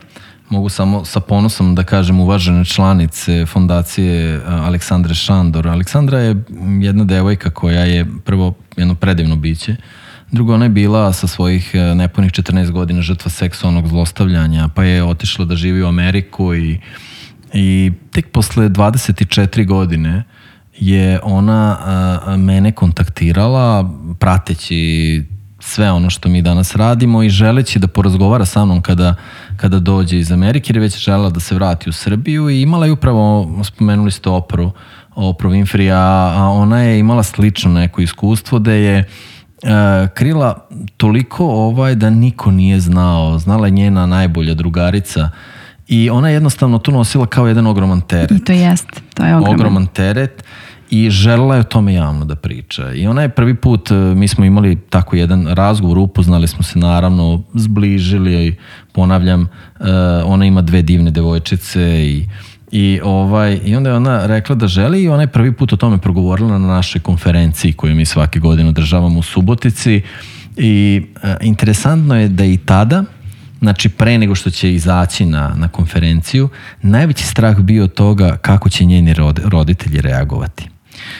mogu samo sa ponosom da kažem, uvažene članice fondacije Aleksandre Šandor. Aleksandra je jedna devojka koja je prvo jedno predivno biće, drugo ona je bila sa svojih nepunih četrnaest godina žrtva seksualnog zlostavljanja, pa je otišla da živi u Ameriku i, i tek posle dvadeset četiri godine je ona a, mene kontaktirala prateći sve ono što mi danas radimo i želeći da porazgovara sa mnom kada, kada dođe iz Amerike, jer je već želela da se vrati u Srbiju i imala je upravo, spomenuli ste Opru, Opru Winfrey, a, a ona je imala slično neko iskustvo da je a, krila toliko ovaj da niko nije znao, znala je njena najbolja drugarica i ona je jednostavno to nosila kao jedan ogroman teret. I to jest, to je ogroman. Ogroman teret. I želela je o tome javno da priča. I ona je prvi put, mi smo imali tako jedan razgovor, upoznali smo se naravno, zbližili i ponavljam, ona ima dve divne devojčice i, i, ovaj, i onda je ona rekla da želi i ona je prvi put o tome progovorila na našoj konferenciji koju mi svake godine održavamo u Subotici i e, interesantno je da i tada, znači pre nego što će izaći na, na konferenciju, najveći strah bio od toga kako će njeni roditelji reagovati.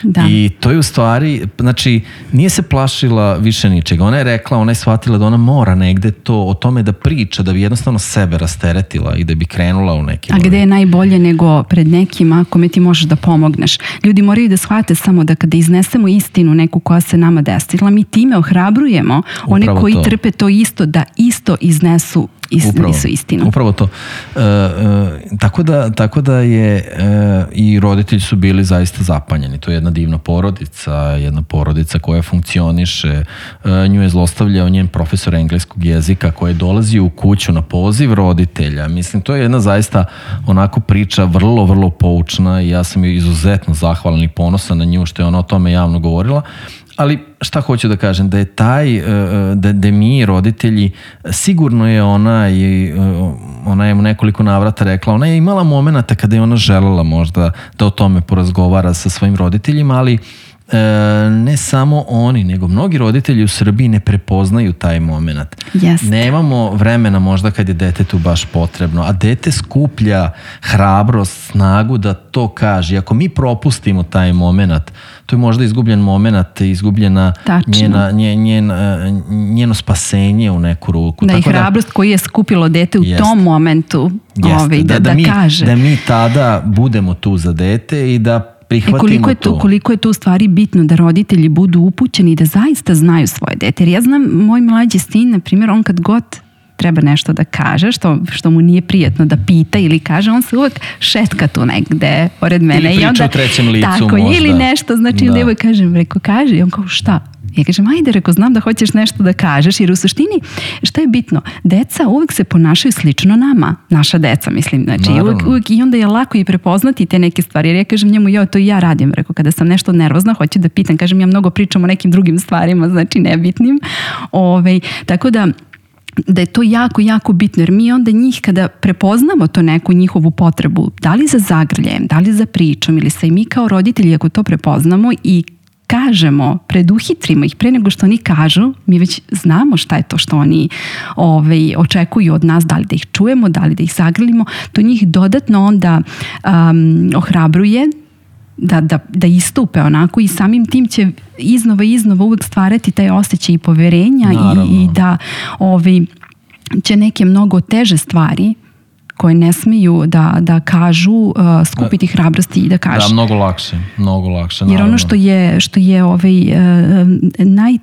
Da. I to je u stvari, znači nije se plašila više ničega, ona je rekla, ona je shvatila da ona mora negde to o tome da priča, da bi jednostavno sebe rasteretila i da bi krenula u neki... A gde je najbolje nego pred nekima kome ti možeš da pomogneš? Ljudi moraju da shvate samo da kada iznesemo istinu neku koja se nama desila, mi time ohrabrujemo one Upravo koji to. trpe to isto, da isto iznesu Upravo, istinu. upravo to. E, e, tako, da, tako da je e, i roditelji su bili zaista zapanjeni. To je jedna divna porodica, jedna porodica koja funkcioniše. E, nju je zlostavljao njen profesor engleskog jezika koji je dolazio u kuću na poziv roditelja. Mislim, to je jedna zaista onako priča vrlo, vrlo poučna i ja sam joj izuzetno zahvalan i ponosan na nju što je ona o tome javno govorila. Ali šta hoću da kažem, da je taj, da, da mi roditelji, sigurno je ona i ona je u nekoliko navrata rekla, ona je imala momenata kada je ona želela možda da o tome porazgovara sa svojim roditeljima, ali ne samo oni, nego mnogi roditelji u Srbiji ne prepoznaju taj moment. Jeste. Nemamo vremena možda kad je detetu baš potrebno, a dete skuplja hrabrost, snagu da to kaže. Ako mi propustimo taj moment, to je možda izgubljen moment, izgubljena njena, njen, njen, njeno spasenje u neku ruku. Da, tako i hrabrost da, koju je skupilo dete u jest, tom momentu jest, ovaj, da, da, da, da mi, kaže. Da mi tada budemo tu za dete i da I koliko je, to, koliko je to u stvari bitno da roditelji budu upućeni i da zaista znaju svoje dete. Jer ja znam, moj mlađi sin, na primjer, on kad god treba nešto da kaže, što, što mu nije prijatno da pita ili kaže, on se uvek šetka tu negde pored mene. Ili priča i onda, u trećem licu tako, možda. Ili nešto, znači da. Ili kažem, reko, kaže, i on kao, šta? Ja kažem, ajde, reko, znam da hoćeš nešto da kažeš, jer u suštini, šta je bitno? Deca uvek se ponašaju slično nama, naša deca, mislim, znači, uvek, uvek, i onda je lako i prepoznati te neke stvari, jer ja kažem njemu, jo, to i ja radim, reko, kada sam nešto nervozna, hoću da pitam, kažem, ja mnogo pričam o nekim drugim stvarima, znači nebitnim, Ove, tako da, da je to jako, jako bitno, jer mi onda njih kada prepoznamo to neku njihovu potrebu, da li za zagrljajem, da li za pričom, ili se i mi kao roditelji, ako to prepoznamo i kažemo, preduhitrimo ih pre nego što oni kažu, mi već znamo šta je to što oni ovaj, očekuju od nas, da li da ih čujemo, da li da ih zagrlimo, to njih dodatno onda um, ohrabruje da, da, da istupe onako i samim tim će iznova i iznova uvek stvarati taj osjećaj i poverenja i, i da ovaj, će neke mnogo teže stvari koje ne smiju da, da kažu, uh, skupiti hrabrosti i da kažu. Da, mnogo lakše, mnogo lakše. Jer ono što je, što je ovaj, uh, naj,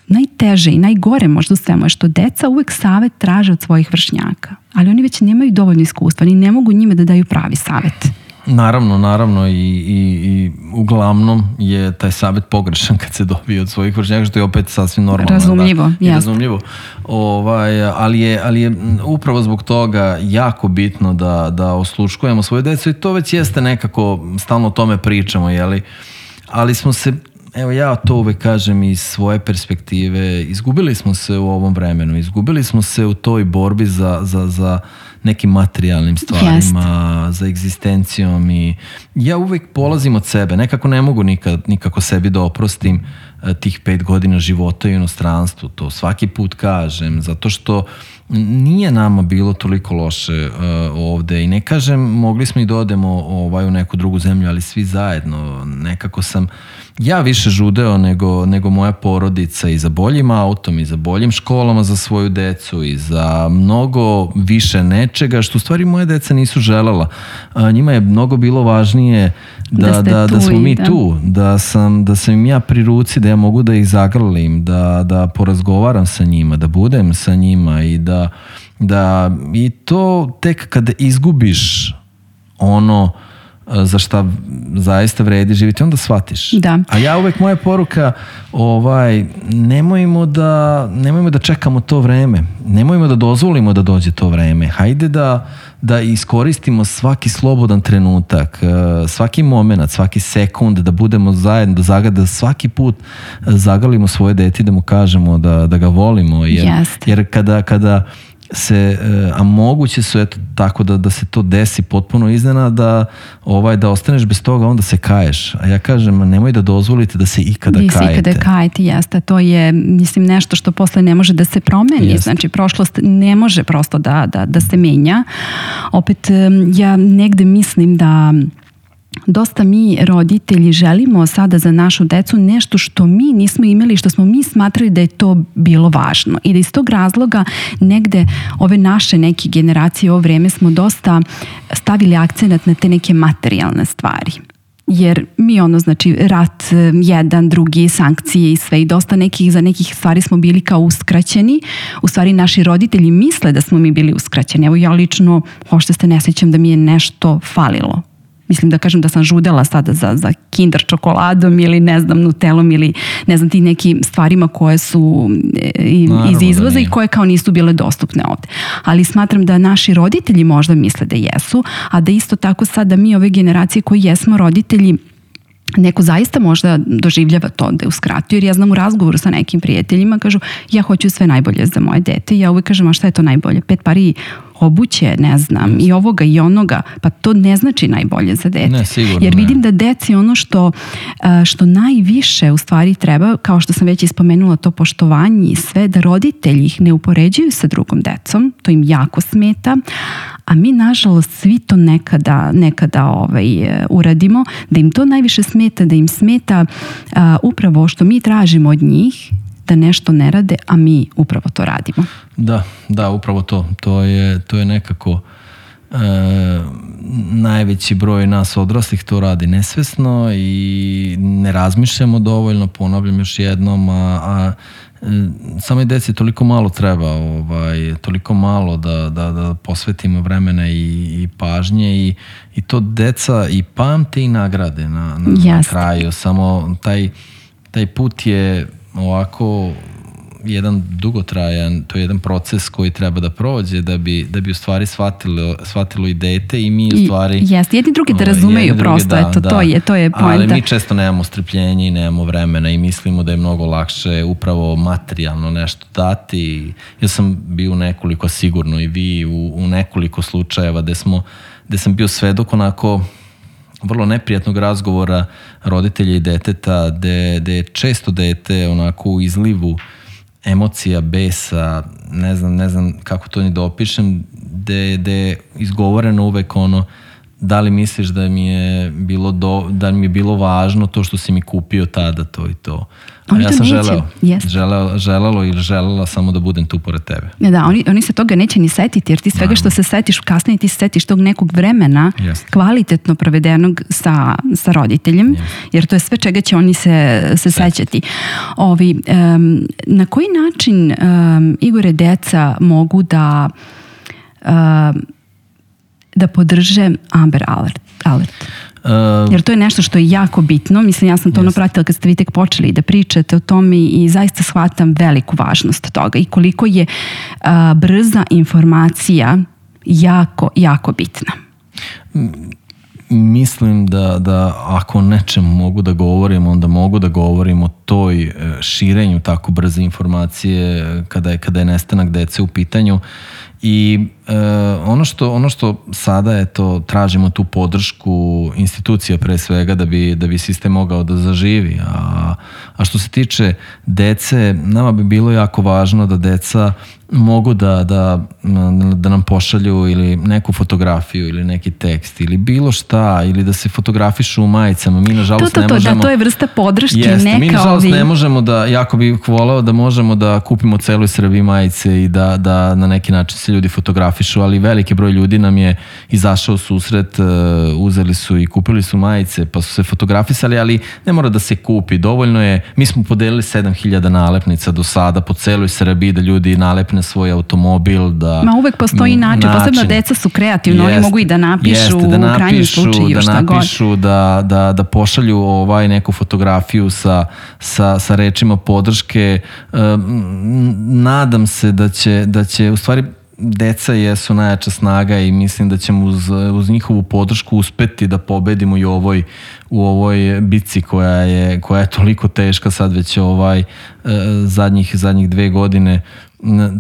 najteže i najgore možda u svemu je što deca uvek savet traže od svojih vršnjaka, ali oni već nemaju dovoljno iskustva, oni ne mogu njime da daju pravi savet. Naravno, naravno i, i, i uglavnom je taj savjet pogrešan kad se dobije od svojih vršnjaka, što je opet sasvim normalno. Razumljivo, da, razumljivo. Ovaj, ali, je, ali je upravo zbog toga jako bitno da, da osluškujemo svoju decu i to već jeste nekako, stalno o tome pričamo, jeli? Ali smo se, evo ja to uvek kažem iz svoje perspektive, izgubili smo se u ovom vremenu, izgubili smo se u toj borbi za, za, za nekim materijalnim stvarima, Jest. za egzistencijom i ja uvek polazim od sebe, nekako ne mogu nikad, nikako sebi da oprostim tih pet godina života u inostranstvu, to svaki put kažem, zato što nije nama bilo toliko loše uh, ovde i ne kažem, mogli smo i da odemo ovaj, u neku drugu zemlju, ali svi zajedno, nekako sam ja više žudeo nego, nego moja porodica i za boljim autom i za boljim školama za svoju decu i za mnogo više nečega što u stvari moje deca nisu želela. A, njima je mnogo bilo važnije da, da, da, da smo mi da. tu, da sam, da sam im ja pri ruci, da ja mogu da ih zagrlim, da, da porazgovaram sa njima, da budem sa njima i da, da i to tek kada izgubiš ono za šta zaista vredi živjeti, onda shvatiš. Da. A ja uvek, moja poruka, ovaj, nemojmo da, nemojmo da čekamo to vreme. Nemojmo da dozvolimo da dođe to vreme. Hajde da, da iskoristimo svaki slobodan trenutak, svaki moment, svaki sekund, da budemo zajedno, da, zagada, da svaki put zagalimo svoje dete, da mu kažemo da, da ga volimo. Jer, yes. jer kada, kada se, a moguće su eto tako da, da se to desi potpuno iznenada, da, ovaj, da ostaneš bez toga, onda se kaješ. A ja kažem, nemoj da dozvolite da se ikada Vi kajete. Vi se ikada kajete, jeste. To je, mislim, nešto što posle ne može da se promeni. Jeste. Znači, prošlost ne može prosto da, da, da se menja. Opet, ja negde mislim da dosta mi roditelji želimo sada za našu decu nešto što mi nismo imali, što smo mi smatrali da je to bilo važno i da iz tog razloga negde ove naše neke generacije u ovo vreme smo dosta stavili akcenat na te neke materijalne stvari. Jer mi ono, znači, rat jedan, drugi, sankcije i sve i dosta nekih, za nekih stvari smo bili kao uskraćeni. U stvari naši roditelji misle da smo mi bili uskraćeni. Evo ja lično, uopšte se ne sjećam da mi je nešto falilo. Mislim da kažem da sam žudela sada za, za Kinder čokoladom ili ne znam Nutelom ili ne znam ti nekim stvarima koje su iz izvoza i koje kao nisu bile dostupne ovde. Ali smatram da naši roditelji možda misle da jesu, a da isto tako sada mi ove generacije koji jesmo roditelji neko zaista možda doživljava to da je uskratio, jer ja znam u razgovoru sa nekim prijateljima, kažu ja hoću sve najbolje za moje dete i ja uvijek kažem, a šta je to najbolje? Pet pari obuće, ne znam, i ovoga i onoga, pa to ne znači najbolje za dete. Ne, sigurno, jer vidim ne. da deci ono što, što najviše u stvari treba, kao što sam već ispomenula, to poštovanje i sve, da roditelji ih ne upoređuju sa drugom decom, to im jako smeta, a mi nažalost svi to nekada, nekada ovaj, uradimo, da im to najviše smeta, da im smeta uh, upravo što mi tražimo od njih, da nešto ne rade, a mi upravo to radimo. Da, da, upravo to. To je, to je nekako e, najveći broj nas odraslih to radi nesvesno i ne razmišljamo dovoljno, ponavljam još jednom, a, a samo deci toliko malo treba, ovaj, toliko malo da, da, da posvetimo vremena i, i pažnje i, i to deca i pamte i nagrade na, na, na kraju. Samo taj, taj put je ovako jedan dugotrajan, to je jedan proces koji treba da prođe da bi, da bi u stvari shvatilo, shvatilo i dete i mi u stvari... Jeste, jedni drugi da razumeju drugi, prosto, da, eto, da. to je, to je pointa. Ali mi često nemamo strpljenja i nemamo vremena i mislimo da je mnogo lakše upravo materijalno nešto dati. Ja sam bio u nekoliko, sigurno i vi, u, u nekoliko slučajeva gde smo, gde sam bio svedok onako vrlo neprijatnog razgovora roditelja i deteta, gde, gde je često dete onako u izlivu emocija, besa, ne znam, ne znam kako to ni da opišem, gde, gde je izgovoreno uvek ono, da li misliš da mi je bilo do, da mi je bilo važno to što si mi kupio tada to i to. A ja sam želeo, yes. želeo, želelo ili želela samo da budem tu pored tebe. Ja, da, oni, oni se toga neće ni setiti, jer ti svega Naravno. Što se setiš kasnije, ti se setiš tog nekog vremena yes. kvalitetno provedenog sa, sa roditeljem, yes. jer to je sve čega će oni se, se sećati. Ovi, um, na koji način, um, Igore, deca mogu da um, da podrže Amber Alert? alert? Uh, Jer to je nešto što je jako bitno. Mislim, ja sam to ono pratila kad ste vi tek počeli da pričate o tome i zaista shvatam veliku važnost toga i koliko je uh, brza informacija jako, jako bitna. Mislim da, da ako nečem mogu da govorim, onda mogu da govorim o toj širenju tako brze informacije kada je, kada je nestanak dece u pitanju. I e, ono što ono što sada je to, tražimo tu podršku institucija pre svega da bi, da bi sistem mogao da zaživi. A, a što se tiče dece, nama bi bilo jako važno da deca mogu da, da, da nam pošalju ili neku fotografiju ili neki tekst ili bilo šta, ili da se fotografišu u majicama. Mi nažalost to, to, to, ne možemo... Da, to je vrsta podrške. Jeste, neka mi nažalost ovi... ne možemo da, jako bih volao da možemo da kupimo celoj Srbiji majice i da, da na neki način se ljudi fotografišu, ali veliki broj ljudi nam je izašao susret, uzeli su i kupili su majice, pa su se fotografisali, ali ne mora da se kupi. Dovoljno je, mi smo podelili sedam hiljada nalepnica do sada po celoj Srbiji da ljudi nalepne svoj automobil, da... Ma uvek postoji način, način. Posebno deca su kreativni, oni mogu i da napišu, jeste, da napišu u krajnjem slučaju da šta napišu, god. Da, da, da pošalju ovaj neku fotografiju sa, sa, sa rečima podrške. Nadam se da će, da će u stvari deca jesu najjača snaga i mislim da ćemo uz, uz njihovu podršku uspeti da pobedimo i u ovoj, u ovoj bici koja je, koja je toliko teška sad već ovaj zadnjih, zadnjih dve godine.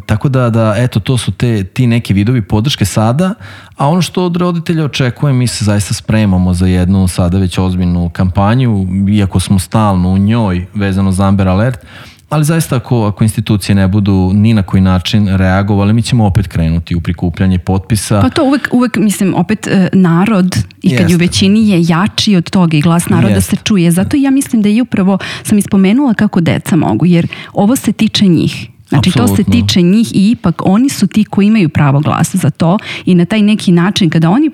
Tako da, da, eto, to su te, ti neki vidovi podrške sada, a ono što od roditelja očekujem, mi se zaista spremamo za jednu sada već ozbiljnu kampanju, iako smo stalno u njoj vezano za Amber Alert, ali zaista ako, ako institucije ne budu ni na koji način reagovali, mi ćemo opet krenuti u prikupljanje potpisa. Pa to uvek, uvek mislim, opet narod i kad Jeste. je u većini je jači od toga i glas naroda Jeste. se čuje. Zato ja mislim da je upravo, sam ispomenula kako deca mogu, jer ovo se tiče njih. Znači Absolutno. to se tiče njih i ipak oni su ti koji imaju pravo glasa za to i na taj neki način kada oni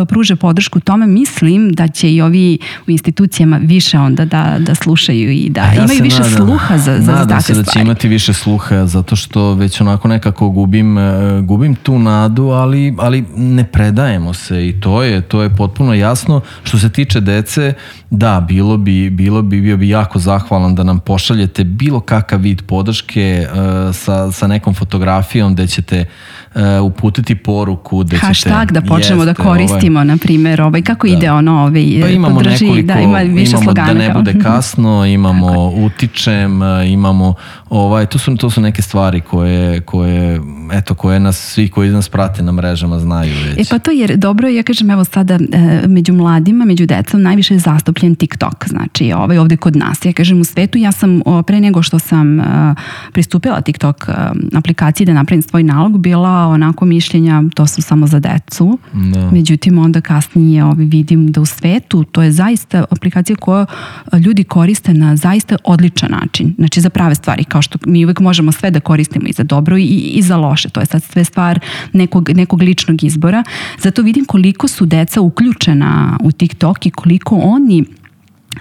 pruže podršku tome, mislim da će i ovi u institucijama više onda da, da slušaju i da ja imaju više nadam, sluha za, za nadam takve se da će stvari. imati više sluha zato što već onako nekako gubim, gubim tu nadu, ali, ali ne predajemo se i to je, to je potpuno jasno. Što se tiče dece, da, bilo bi, bilo bi, bio bi jako zahvalan da nam pošaljete bilo kakav vid podrške sa, sa nekom fotografijom gde ćete uh, uputiti poruku, gde hashtag ćete, da počnemo jeste, da koristimo ovaj, na primjer, ovaj, kako da. ide ono ovaj, pa imamo podrži, nekoliko, da ima više imamo slogana da ne bude kasno, imamo utičem, imamo ovaj, to su, to su neke stvari koje, koje, eto, koje nas, svi koji nas prate na mrežama znaju već. E pa to jer dobro, ja kažem evo sada među mladima, među decom najviše je zastupljen TikTok, znači ovaj, ovde kod nas, ja kažem u svetu, ja sam pre nego što sam pristupila TikTok aplikaciji da napravim svoj nalog, bila onako mišljenja to su samo za decu, da. Međutim onda kasnije ovaj, vidim da u svetu to je zaista aplikacija koju ljudi koriste na zaista odličan način, znači za prave stvari, kao što mi uvek možemo sve da koristimo i za dobro i, i za loše, to je sad sve stvar nekog, nekog ličnog izbora, zato vidim koliko su deca uključena u TikTok i koliko oni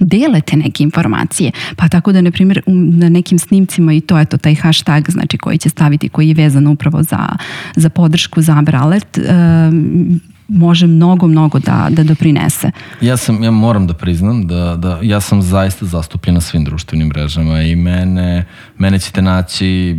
dele te neke informacije, pa tako da na primjer na nekim snimcima i to je to taj hashtag znači koji će staviti, koji je vezan upravo za, za podršku za Amber Alert, um, može mnogo, mnogo da, da doprinese. Ja sam, ja moram da priznam da, da ja sam zaista zastupljen na svim društvenim mrežama i mene, mene ćete naći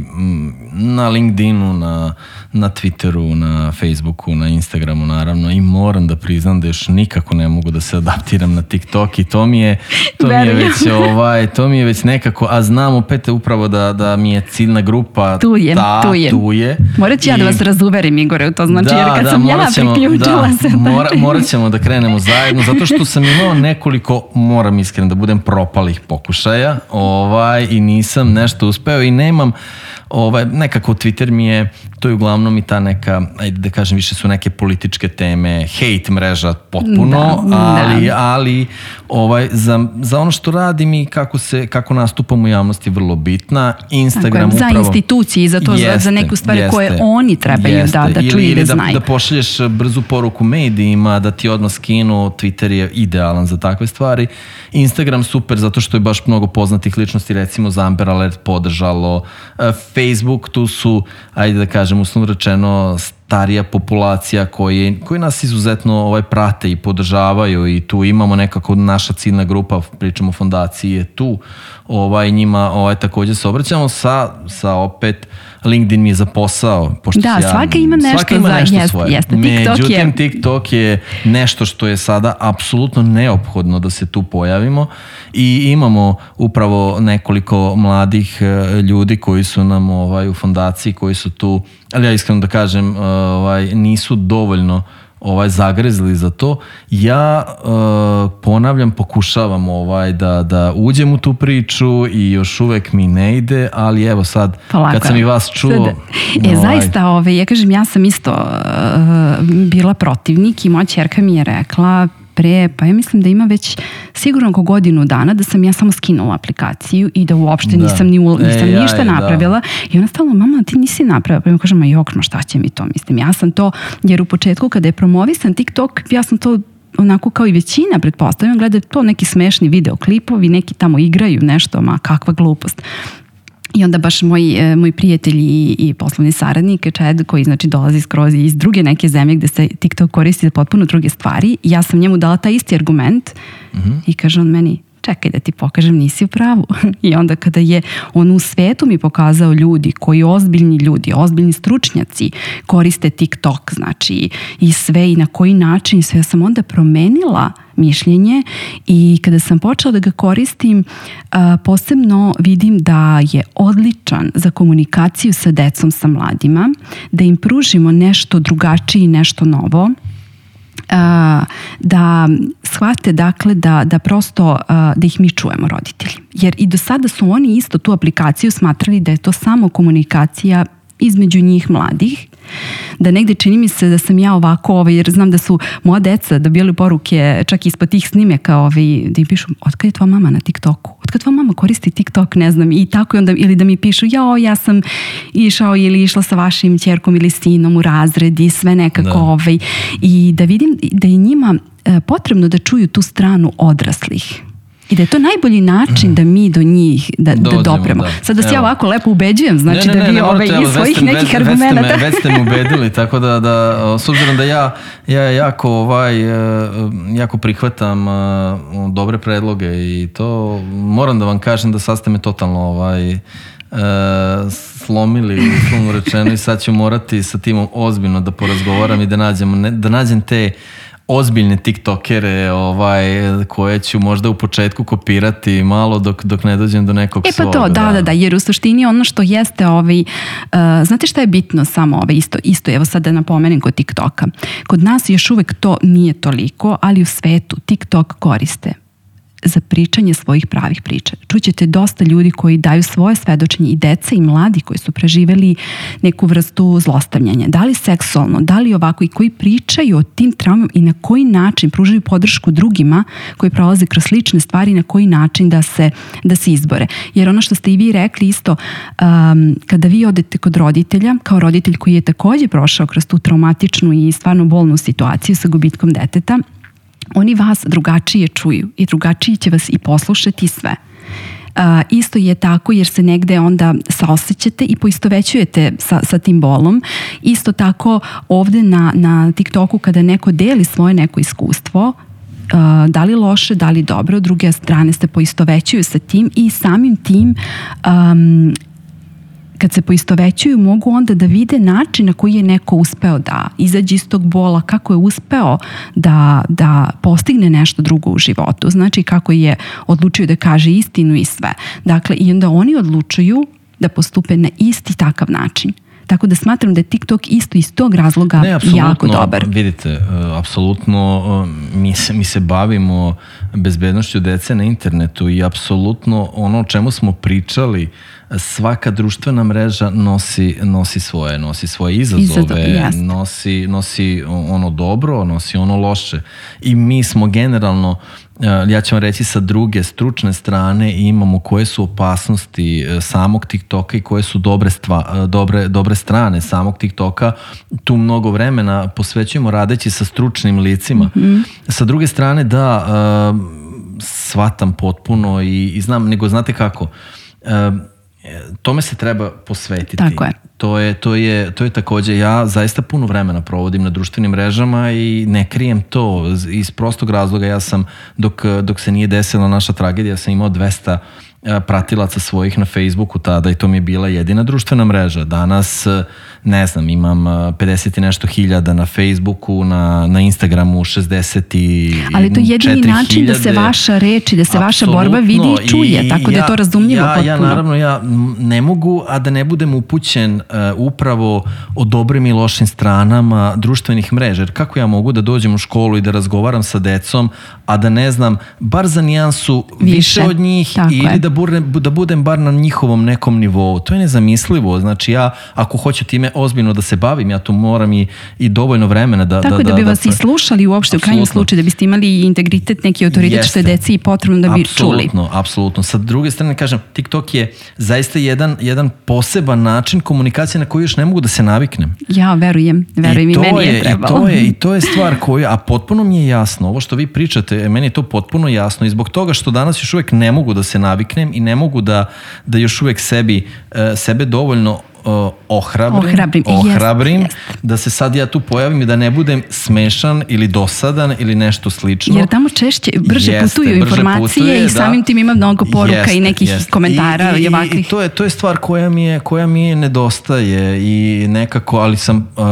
na LinkedInu, na, na Twitteru, na Facebooku, na Instagramu naravno i moram da priznam da još nikako ne mogu da se adaptiram na TikTok i to mi je, to mi je već ovaj, to mi je već nekako, a znam opet upravo da, da mi je ciljna grupa tu je, ta, tu je. Tu je. Morat ću ja da vas razuverim, Igore, to znači da, jer kad da, sam ja ćemo, priključila da, se. Mora, morat ćemo da krenemo zajedno, zato što sam imao nekoliko, moram iskreno da budem, propalih pokušaja ovaj, i nisam nešto uspeo i nemam, ovaj, nekako Twitter mi je, to je uglavnom i ta neka, ajde da kažem, više su neke političke teme, hate mreža potpuno, da, ali, da. ali ovaj, za, za ono što radim i kako, se, kako nastupam u javnosti je vrlo bitna. Instagram tako, upravo... Za institucije i za to, jeste, za neke stvari jeste, koje oni trebaju jeste, da, da čuju i da znaju. Ili da pošalješ brzu poruku medijima, da ti odmah skinu, Twitter je idealan za takve stvari. Instagram super, zato što je baš mnogo poznatih ličnosti, recimo za Amber Alert podržalo. Facebook, tu su, ajde da kažem, uslovno rečeno, starija populacija koji, koji nas izuzetno ovaj, prate i podržavaju i tu imamo nekako naša ciljna grupa, pričamo o fondaciji, je tu, ovaj, njima ovaj, također se obraćamo sa, sa opet LinkedIn mi je za posao. Pošto da, ja, svaka ima nešto, svaka ima nešto za, jest, svoje. Jeste, TikTok Međutim, je... TikTok je nešto što je sada apsolutno neophodno da se tu pojavimo i imamo upravo nekoliko mladih ljudi koji su nam ovaj, u fondaciji, koji su tu, ali ja iskreno da kažem, ovaj, nisu dovoljno ovaj zagrezli za to. Ja uh, ponavljam, pokušavam ovaj da, da uđem u tu priču i još uvek mi ne ide, ali evo sad Polako. Kad sam i vas čuo... Sad, e, ovaj... Zaista, ovaj, ja kažem, ja sam isto uh, bila protivnik i moja ćerka mi je rekla pre, pa ja mislim da ima već sigurno oko godinu dana da sam ja samo skinula aplikaciju i da uopšte da. nisam, ni, nisam e, ništa ja, napravila da. I ona stalo, mama ti nisi napravila, pa ja kažem, ma jok, ma šta će mi to, mislim, ja sam to, jer u početku kada je promovisan TikTok, ja sam to onako kao i većina, pretpostavljam, gleda to neki smešni videoklipovi, neki tamo igraju nešto, ma kakva glupost. I onda baš moj, moj prijatelj i, i poslovni saradnik, Čed, koji znači dolazi skroz iz druge neke zemlje gde se TikTok koristi za potpuno druge stvari, ja sam njemu dala taj isti argument mm-hmm. i kaže on meni, čekaj da ti pokažem, nisi u pravu. I onda kada je on u svetu mi pokazao ljudi, koji ozbiljni ljudi, ozbiljni stručnjaci koriste TikTok, znači i sve i na koji način, sve, ja sam onda promenila mišljenje i kada sam počela da ga koristim, posebno vidim da je odličan za komunikaciju sa decom, sa mladima, da im pružimo nešto drugačije i nešto novo, da shvate dakle da, da prosto da ih mi čujemo roditelji. Jer i do sada su oni isto tu aplikaciju smatrali da je to samo komunikacija između njih mladih, da negde čini mi se da sam ja ovako, ovaj, jer znam da su moja deca dobijali poruke čak ispod tih snimeka, ovaj, da im pišu, otkad je tvoja mama na TikToku? Otkad tvoja mama koristi TikTok? Ne znam. I tako, onda, ili da mi pišu, jao, ja sam išao ili išla sa vašim ćerkom ili sinom u razred i sve nekako. Da. Ovaj, i da vidim da je njima potrebno da čuju tu stranu odraslih. I da je to najbolji način da mi do njih da, da dopremo. Da. Sad da se ja ovako lepo ubeđujem, znači ne, ne, ne, da vi ovaj, iz svojih ste, nekih već, argumenta. Već ste, me, već ste me ubedili, tako da, da s obzirom da ja, ja jako, ovaj, jako prihvatam dobre predloge i to moram da vam kažem da sad ste me totalno ovaj, slomili, uslovno rečeno, i sad ću morati sa timom ozbiljno da porazgovaram i da nađem, da nađem te ozbiljne tiktokere ovaj, koje ću možda u početku kopirati malo dok, dok ne dođem do nekog svog. E pa to, da, da, da, jer u suštini ono što jeste ovaj, uh, znate šta je bitno samo ovaj, isto, isto, evo sad da napomenem kod TikToka. Kod nas još uvek to nije toliko, ali u svetu TikTok koriste za pričanje svojih pravih priča. Čućete dosta ljudi koji daju svoje svedočenje, i deca i mladi koji su preživeli neku vrstu zlostavljanja. Da li seksualno, da li ovako, i koji pričaju o tim traumama i na koji način pružaju podršku drugima koji prolaze kroz slične stvari, na koji način da se, da se izbore. Jer ono što ste i vi rekli isto, um, kada vi odete kod roditelja, kao roditelj koji je također prošao kroz tu traumatičnu i stvarno bolnu situaciju sa gubitkom deteta, oni vas drugačije čuju i drugačije će vas i poslušati sve. Uh, isto je tako jer se negde onda saosećate i poistovećujete sa, sa tim bolom. Isto tako ovde na, na TikToku kada neko deli svoje neko iskustvo, uh, da li loše, da li dobro, druge strane se poistovećuju sa tim i samim tim um, kad se poistovećuju mogu onda da vide način na koji je neko uspeo da izađe iz tog bola, kako je uspeo da, da postigne nešto drugo u životu. Znači kako je odlučio da kaže istinu i sve. Dakle, i onda oni odlučuju da postupe na isti takav način. Tako da smatram da je TikTok isto iz tog razloga ne, jako dobar. Vidite, apsolutno mi se, mi se bavimo bezbednošću dece na internetu i apsolutno ono o čemu smo pričali, svaka društvena mreža nosi, nosi svoje, nosi svoje izazove, Izazov, nosi, nosi ono dobro, nosi ono loše. I mi smo generalno, ja ću vam reći sa druge stručne strane, imamo koje su opasnosti samog TikToka i koje su dobre, stva, dobre, dobre strane samog TikToka. Tu mnogo vremena posvećujemo radeći sa stručnim licima. Mm-hmm. Sa druge strane, da, shvatam potpuno i, i znam, nego znate kako, tome se treba posvetiti. Tako je. To je, to je, to je takođe, ja zaista puno vremena provodim na društvenim mrežama i ne krijem to iz prostog razloga. Ja sam, dok, dok se nije desila naša tragedija, sam imao dvesta pratilaca svojih na Facebooku tada i to mi je bila jedina društvena mreža. Danas, ne znam, imam pedeset i nešto hiljada na Facebooku, na, na Instagramu šezdeset i četiri hiljade. Ali to je jedini način da se vaša reč i da se vaša borba vidi i čuje, tako da je to razumljivo ja, potpuno. Ja naravno, ja ne mogu, a da ne budem upućen uh, upravo o dobrim i lošim stranama društvenih mreža. Jer kako ja mogu da dođem u školu i da razgovaram sa decom, a da ne znam, bar za nijansu više, više od njih ili je. da da budem bar na njihovom nekom nivou. To je nezamislivo. Znači ja, ako hoću time ozbiljno da se bavim, ja tu moram i, i dovoljno vremena da... Tako da, da bi da, vas da, i slušali uopšte apsolutno. U krajnjem slučaju, da biste imali integritet, neki autoritet što je deci i potrebno da bi apsolutno, čuli. Apsolutno, apsolutno. Sa druge strane, kažem, TikTok je zaista jedan, jedan poseban način komunikacije na koji još ne mogu da se naviknem. Ja verujem, verujem i, i meni je, je trebalo. I to je, i to je stvar koju, a potpuno mi je jasno, ovo što vi pričate, meni je to potpuno jasno i zbog toga što danas još uvek ne mogu da se naviknem i ne mogu da, da još uvek sebi, sebe dovoljno uh, ohrabrim, ohrabrim, ohrabrim jest, jest. da se sad ja tu pojavim i da ne budem smešan ili dosadan ili nešto slično. Jer tamo češće, brže jeste, putuju brže informacije putuje, i samim da. tim ima mnogo poruka jeste, i nekih jeste. komentara i, i, i ovakvih. I to je, to je stvar koja mi je, koja mi je nedostaje i nekako, ali sam uh,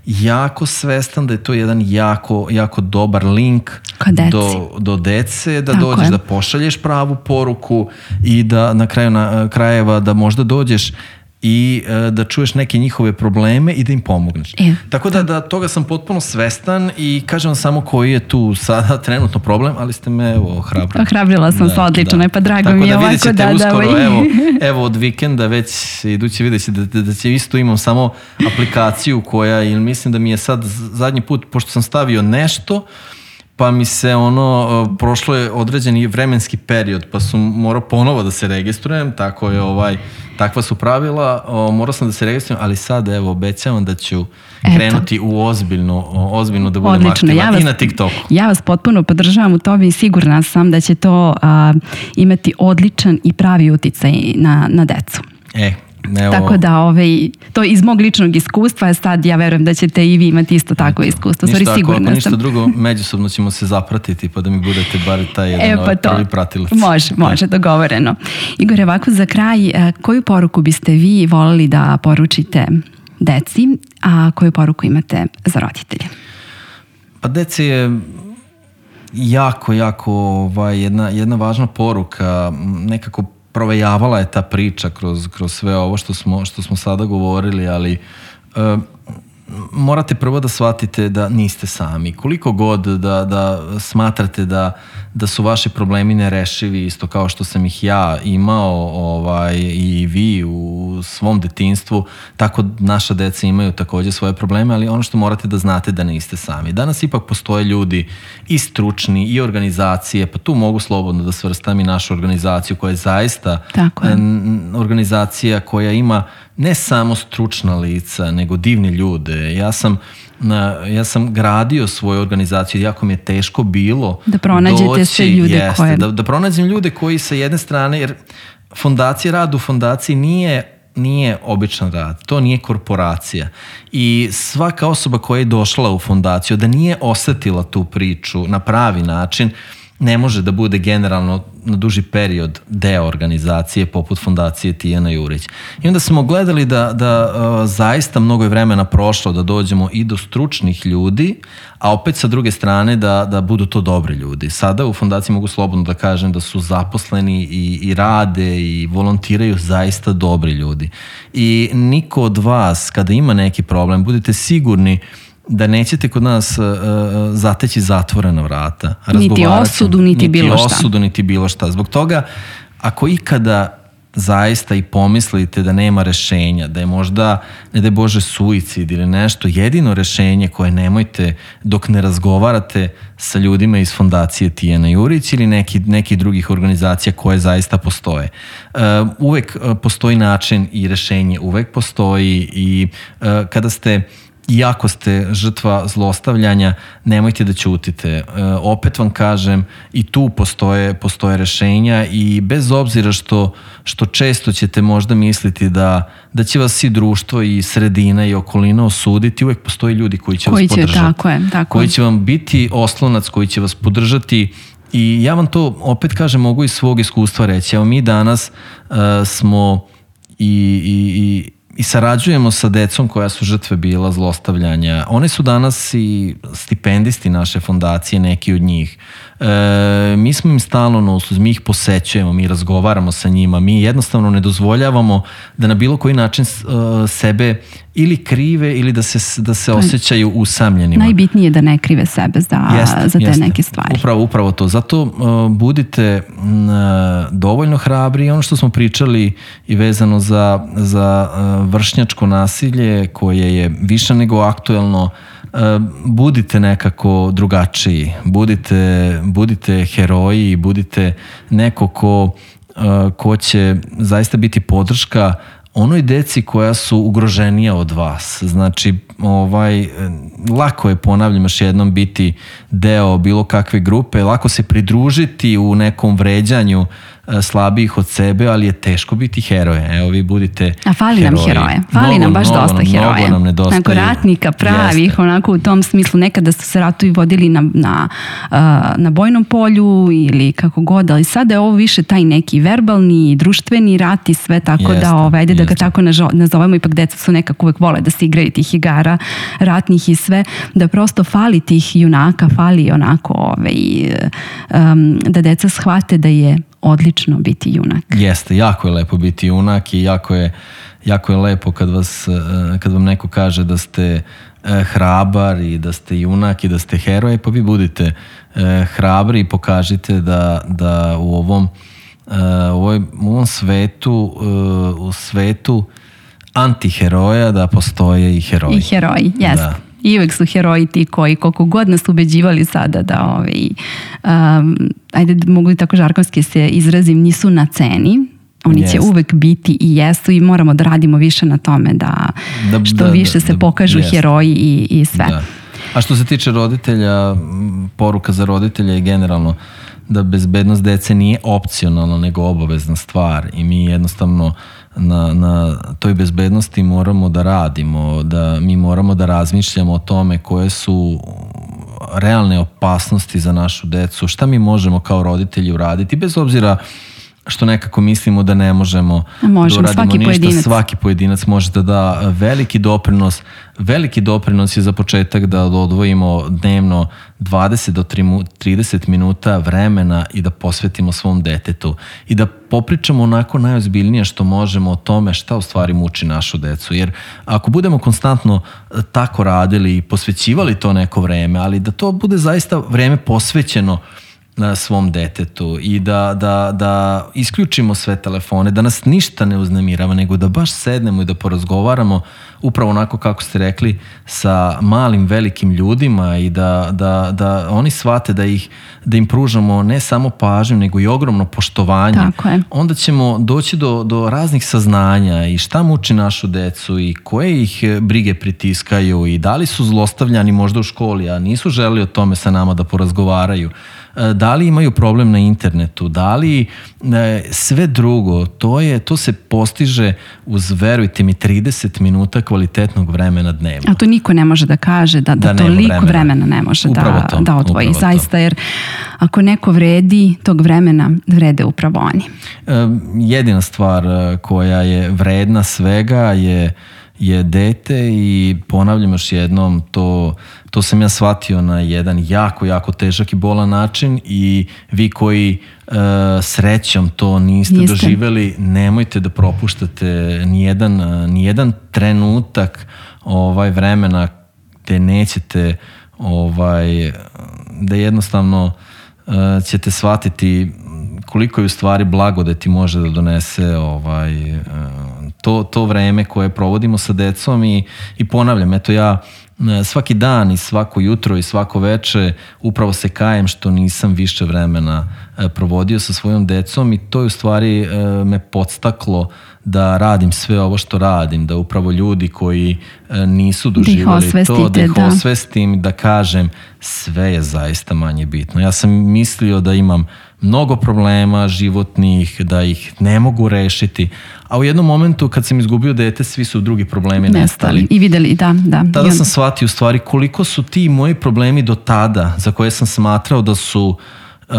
jako svestan da je to jedan jako, jako dobar link do, do dece, da tako dođeš je. da pošalješ pravu poruku i da na kraju na, krajeva da možda dođeš i uh, da čuješ neke njihove probleme i da im pomogneš. E, Tako da, da toga sam potpuno svestan i kažem vam samo koji je tu sada trenutno problem, ali ste me evo ohrabrili. Ohrabrila sam se odlično, da. pa drago Tako mi je da ovako da... uskoro, da evo, evo od vikenda već idući vidjet će da, da će isto imam samo aplikaciju koja, ili mislim da mi je sad zadnji put, pošto sam stavio nešto, pa mi se ono, prošlo je određeni vremenski period, pa sam morao ponovo da se registrujem, tako je ovaj, takva su pravila, o, morao sam da se registrujem, ali sad evo obećavam da ću Eto. krenuti u ozbiljno, ozbiljno da budem aktivan ja vas, i na TikToku. Ja vas potpuno podržavam u tome i sigurna sam da će to a, imati odličan i pravi uticaj na, na decu. E, Evo. Tako da ovaj, to iz mog ličnog iskustva, sad ja verujem da ćete i vi imati isto tako iskustvo. Ništa, Sorry, sigurna ako ništa sam. drugo, međusobno ćemo se zapratiti pa da mi budete bar taj jedan e, pa ovaj prvi pratilac. Može, može, dogovoreno. Igor, ovako za kraj, koju poruku biste vi voleli da poručite deci, a koju poruku imate za roditelje? Pa deci je jako, jako ovaj, jedna, jedna važna poruka, nekako provejavala je ta priča kroz, kroz sve ovo što smo, što smo sada govorili, ali e, morate prvo da shvatite da niste sami. Koliko god da, da smatrate da, da su vaši problemi nerešivi, isto kao što sam ih ja imao ovaj, i vi u svom detinjstvu, tako naša deca imaju takođe svoje probleme, ali ono što morate da znate da niste sami. Danas ipak postoje ljudi i stručni i organizacije, pa tu mogu slobodno da svrstam i našu organizaciju koja je zaista je. organizacija koja ima ne samo stručna lica, nego divni ljude. Ja sam, ja sam gradio svoju organizaciju, jako mi je teško bilo da pronađete doći, sve ljude jeste, koje... Da, da pronađem ljude koji sa jedne strane, jer fondacija, rad u fondaciji nije nije običan rad, to nije korporacija i svaka osoba koja je došla u fondaciju da nije osetila tu priču na pravi način, ne može da bude generalno na duži period deo organizacije poput fondacije Tijana Jurić. I onda smo gledali da, da uh, zaista mnogo je vremena prošlo da dođemo i do stručnih ljudi, a opet sa druge strane da, da budu to dobri ljudi. Sada u fondaciji mogu slobodno da kažem da su zaposleni i, i rade i volontiraju zaista dobri ljudi. I niko od vas kada ima neki problem, budite sigurni da nećete kod nas uh, zateći zatvorena vrata. Niti osudu, niti, niti bilo šta. Niti osudu, niti bilo šta. Zbog toga, ako ikada zaista i pomislite da nema rešenja, da je možda, ne da je Bože, suicid ili nešto, jedino rešenje koje nemojte dok ne razgovarate sa ljudima iz fondacije Tijana Jurić ili neki, neki drugih organizacija koje zaista postoje. Uh, uvek postoji način i rešenje, uvek postoji i uh, kada ste iako ste žrtva zlostavljanja, nemojte da ćutite. E, opet vam kažem, i tu postoje, postoje rešenja i bez obzira što, što često ćete možda misliti da, da će vas i društvo i sredina i okolina osuditi, uvek postoje ljudi koji će koji vas podržati. Će, tako je, tako koji će vam biti oslonac, koji će vas podržati. I ja vam to, opet kažem, mogu iz svog iskustva reći. Evo mi danas uh, smo i, i, i, i sarađujemo sa decom koja su žrtve bila zlostavljanja. One su danas i stipendisti naše fondacije, neki od njih. E, mi smo im stalno na usluzi, mi ih posećujemo, mi razgovaramo sa njima, mi jednostavno ne dozvoljavamo da na bilo koji način uh, sebe ili krive ili da se, da se osjećaju usamljenima. Najbitnije je da ne krive sebe za, jeste, za te jeste. neke stvari. Upravo, upravo to. Zato uh, budite uh, dovoljno hrabri. Ono što smo pričali i vezano za, za uh, vršnjačko nasilje koje je više nego aktuelno, budite nekako drugačiji, budite, budite heroji, budite neko ko, ko će zaista biti podrška onoj deci koja su ugroženija od vas. Znači, ovaj, lako je, ponavljam još jednom, biti deo bilo kakve grupe, lako se pridružiti u nekom vređanju slabijih od sebe, ali je teško biti heroje. Evo, vi budite A fali heroji. nam heroje. Fali mnogo, nam baš mnogo, dosta mnogo heroja. Nam nedostaju. Onako ratnika pravih, jeste. Onako u tom smislu. Nekada su se ratovi vodili na, na, na bojnom polju ili kako god, ali sada je ovo više taj neki verbalni, društveni rat i sve tako jeste, da ovede, da ga tako nazovemo. Ipak deca su nekako uvek vole da se igraju tih igara ratnih i sve, da prosto fali tih junaka, fali onako ovaj, um, da deca shvate da je odlično biti junak. Jeste, jako je lepo biti junak i jako je, jako je lepo kad, vas, kad vam neko kaže da ste hrabar i da ste junak i da ste heroj, pa vi budite hrabri i pokažite da, da u ovom, u ovom, u ovom svetu, u svetu antiheroja da postoje i heroji. I heroji, jeste. Da. I uvek su heroji ti koji, koliko god nas ubeđivali sada da, ovaj, um, ajde mogu i tako žargonski se izrazim, nisu na ceni. Oni yes. će uvek biti i jesu i moramo da radimo više na tome da, da što da, više da, se da, pokažu yes. heroji i, i sve. Da. A što se tiče roditelja, poruka za roditelja je generalno da bezbednost dece nije opcionalna nego obavezna stvar i mi jednostavno na, na toj bezbednosti moramo da radimo, da mi moramo da razmišljamo o tome koje su realne opasnosti za našu decu, šta mi možemo kao roditelji uraditi, bez obzira što nekako mislimo da ne možemo Možem, da uradimo svaki ništa, pojedinac. svaki pojedinac može da da veliki doprinos. Veliki doprinos je za početak da odvojimo dnevno dvadeset do trideset minuta vremena i da posvetimo svom detetu i da popričamo onako najozbiljnije što možemo o tome šta u stvari muči našu decu. Jer ako budemo konstantno tako radili i posvećivali to neko vreme, ali da to bude zaista vreme posvećeno na svom detetu i da, da, da isključimo sve telefone, da nas ništa ne uznemirava, nego da baš sednemo i da porazgovaramo upravo onako kako ste rekli sa malim velikim ljudima i da, da, da oni shvate da, ih, da im pružamo ne samo pažnju nego i ogromno poštovanje. Tako je. Onda ćemo doći do, do raznih saznanja i šta muči našu decu i koje ih brige pritiskaju i da li su zlostavljani možda u školi, a nisu želeli o tome sa nama da porazgovaraju. Da li imaju problem na internetu, da li sve drugo, to, je, to se postiže uz, verujte mi, trideset minuta kvalitetnog vremena dnevno. A to niko ne može da kaže, da, da, da toliko vremena. vremena ne može da, to, da odvoji. Zaista, jer ako neko vredi, tog vremena vrede upravo oni. Jedina stvar koja je vredna svega je je dete i ponavljam još jednom, to, to sam ja shvatio na jedan jako, jako težak i bolan način i vi koji uh, srećom to niste, niste doživeli, nemojte da propuštate nijedan, nijedan trenutak ovaj, vremena gde nećete ovaj, da jednostavno uh, ćete shvatiti koliko je u stvari blagodeti može da donese ovaj, to, to vreme koje provodimo sa decom i, i ponavljam, eto ja svaki dan i svako jutro i svako veče upravo se kajem što nisam više vremena provodio sa svojom decom i to je u stvari me podstaklo da radim sve ovo što radim, da upravo ljudi koji nisu doživjeli da to, da ih da. osvestim, da kažem sve je zaista manje bitno. Ja sam mislio da imam mnogo problema životnih, da ih ne mogu rešiti, a u jednom momentu kad sam izgubio dete, svi su drugi problemi nestali. nestali. I videli, da, da. Tada sam shvatio u stvari koliko su ti moji problemi do tada, za koje sam smatrao da su uh,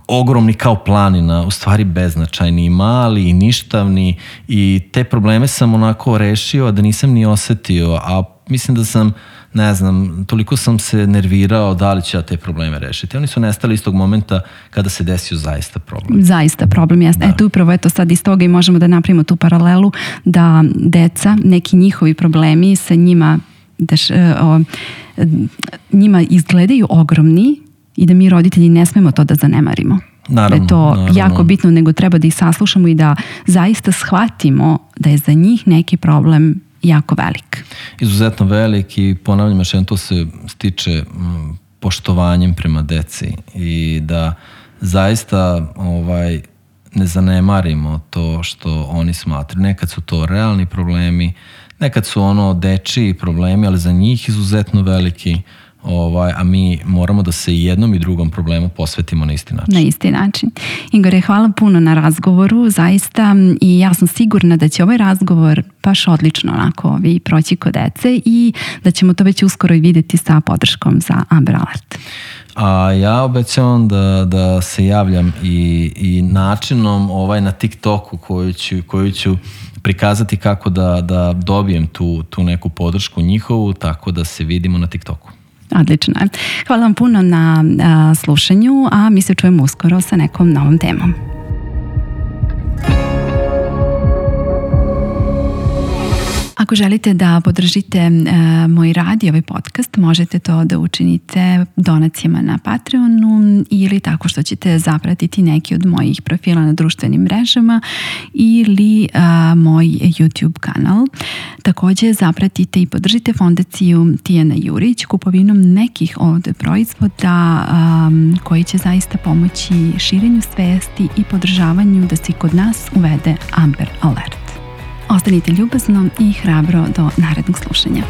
ogromni kao planina, u stvari beznačajni, mali i ništavni, i te probleme sam onako rešio, a da nisam ni osetio, a mislim da sam, ne znam, toliko sam se nervirao da li ću ja te probleme rešiti. Oni su nestali iz tog momenta kada se desio zaista problem. Zaista problem, jasno. Da. Eto upravo eto sad iz toga i možemo da napravimo tu paralelu da deca, neki njihovi problemi sa njima, deš, o, njima izgledaju ogromni, i da mi roditelji ne smemo to da zanemarimo. Naravno, da je to naravno. jako bitno, nego treba da ih saslušamo i da zaista shvatimo da je za njih neki problem jako velik. Izuzetno velik, i ponavljam još jednom, to se stiče m, poštovanjem prema deci i da zaista ovaj, ne zanemarimo to što oni smatraju. Nekad su to realni problemi, nekad su ono dečiji problemi, ali za njih izuzetno veliki. Ovaj, a mi moramo da se jednom i drugom problemu posvetimo na isti način. Na isti način. Igore, hvala puno na razgovoru, zaista, i ja sam sigurna da će ovaj razgovor baš odlično onako vi proći kod dece i da ćemo to već uskoro i vidjeti sa podrškom za Amber Alert. A ja obećavam da, da se javljam i, i načinom ovaj na TikToku koju ću, koju ću prikazati kako da, da dobijem tu, tu neku podršku njihovu, tako da se vidimo na TikToku. Odlično. Hvala vam puno na a, slušanju, a mi se čujemo uskoro sa nekom novom temom. Ako želite da podržite e, moj rad i ovaj podcast, možete to da učinite donacijama na Patreonu ili tako što ćete zapratiti neki od mojih profila na društvenim mrežama ili a, moj YouTube kanal. Također zapratite i podržite fondaciju Tijana Jurić kupovinom nekih od proizvoda a, koji će zaista pomoći širenju svesti i podržavanju da se kod nas uvede Amber Alert. Ostanite ljubazno i hrabro do narednog slušanja.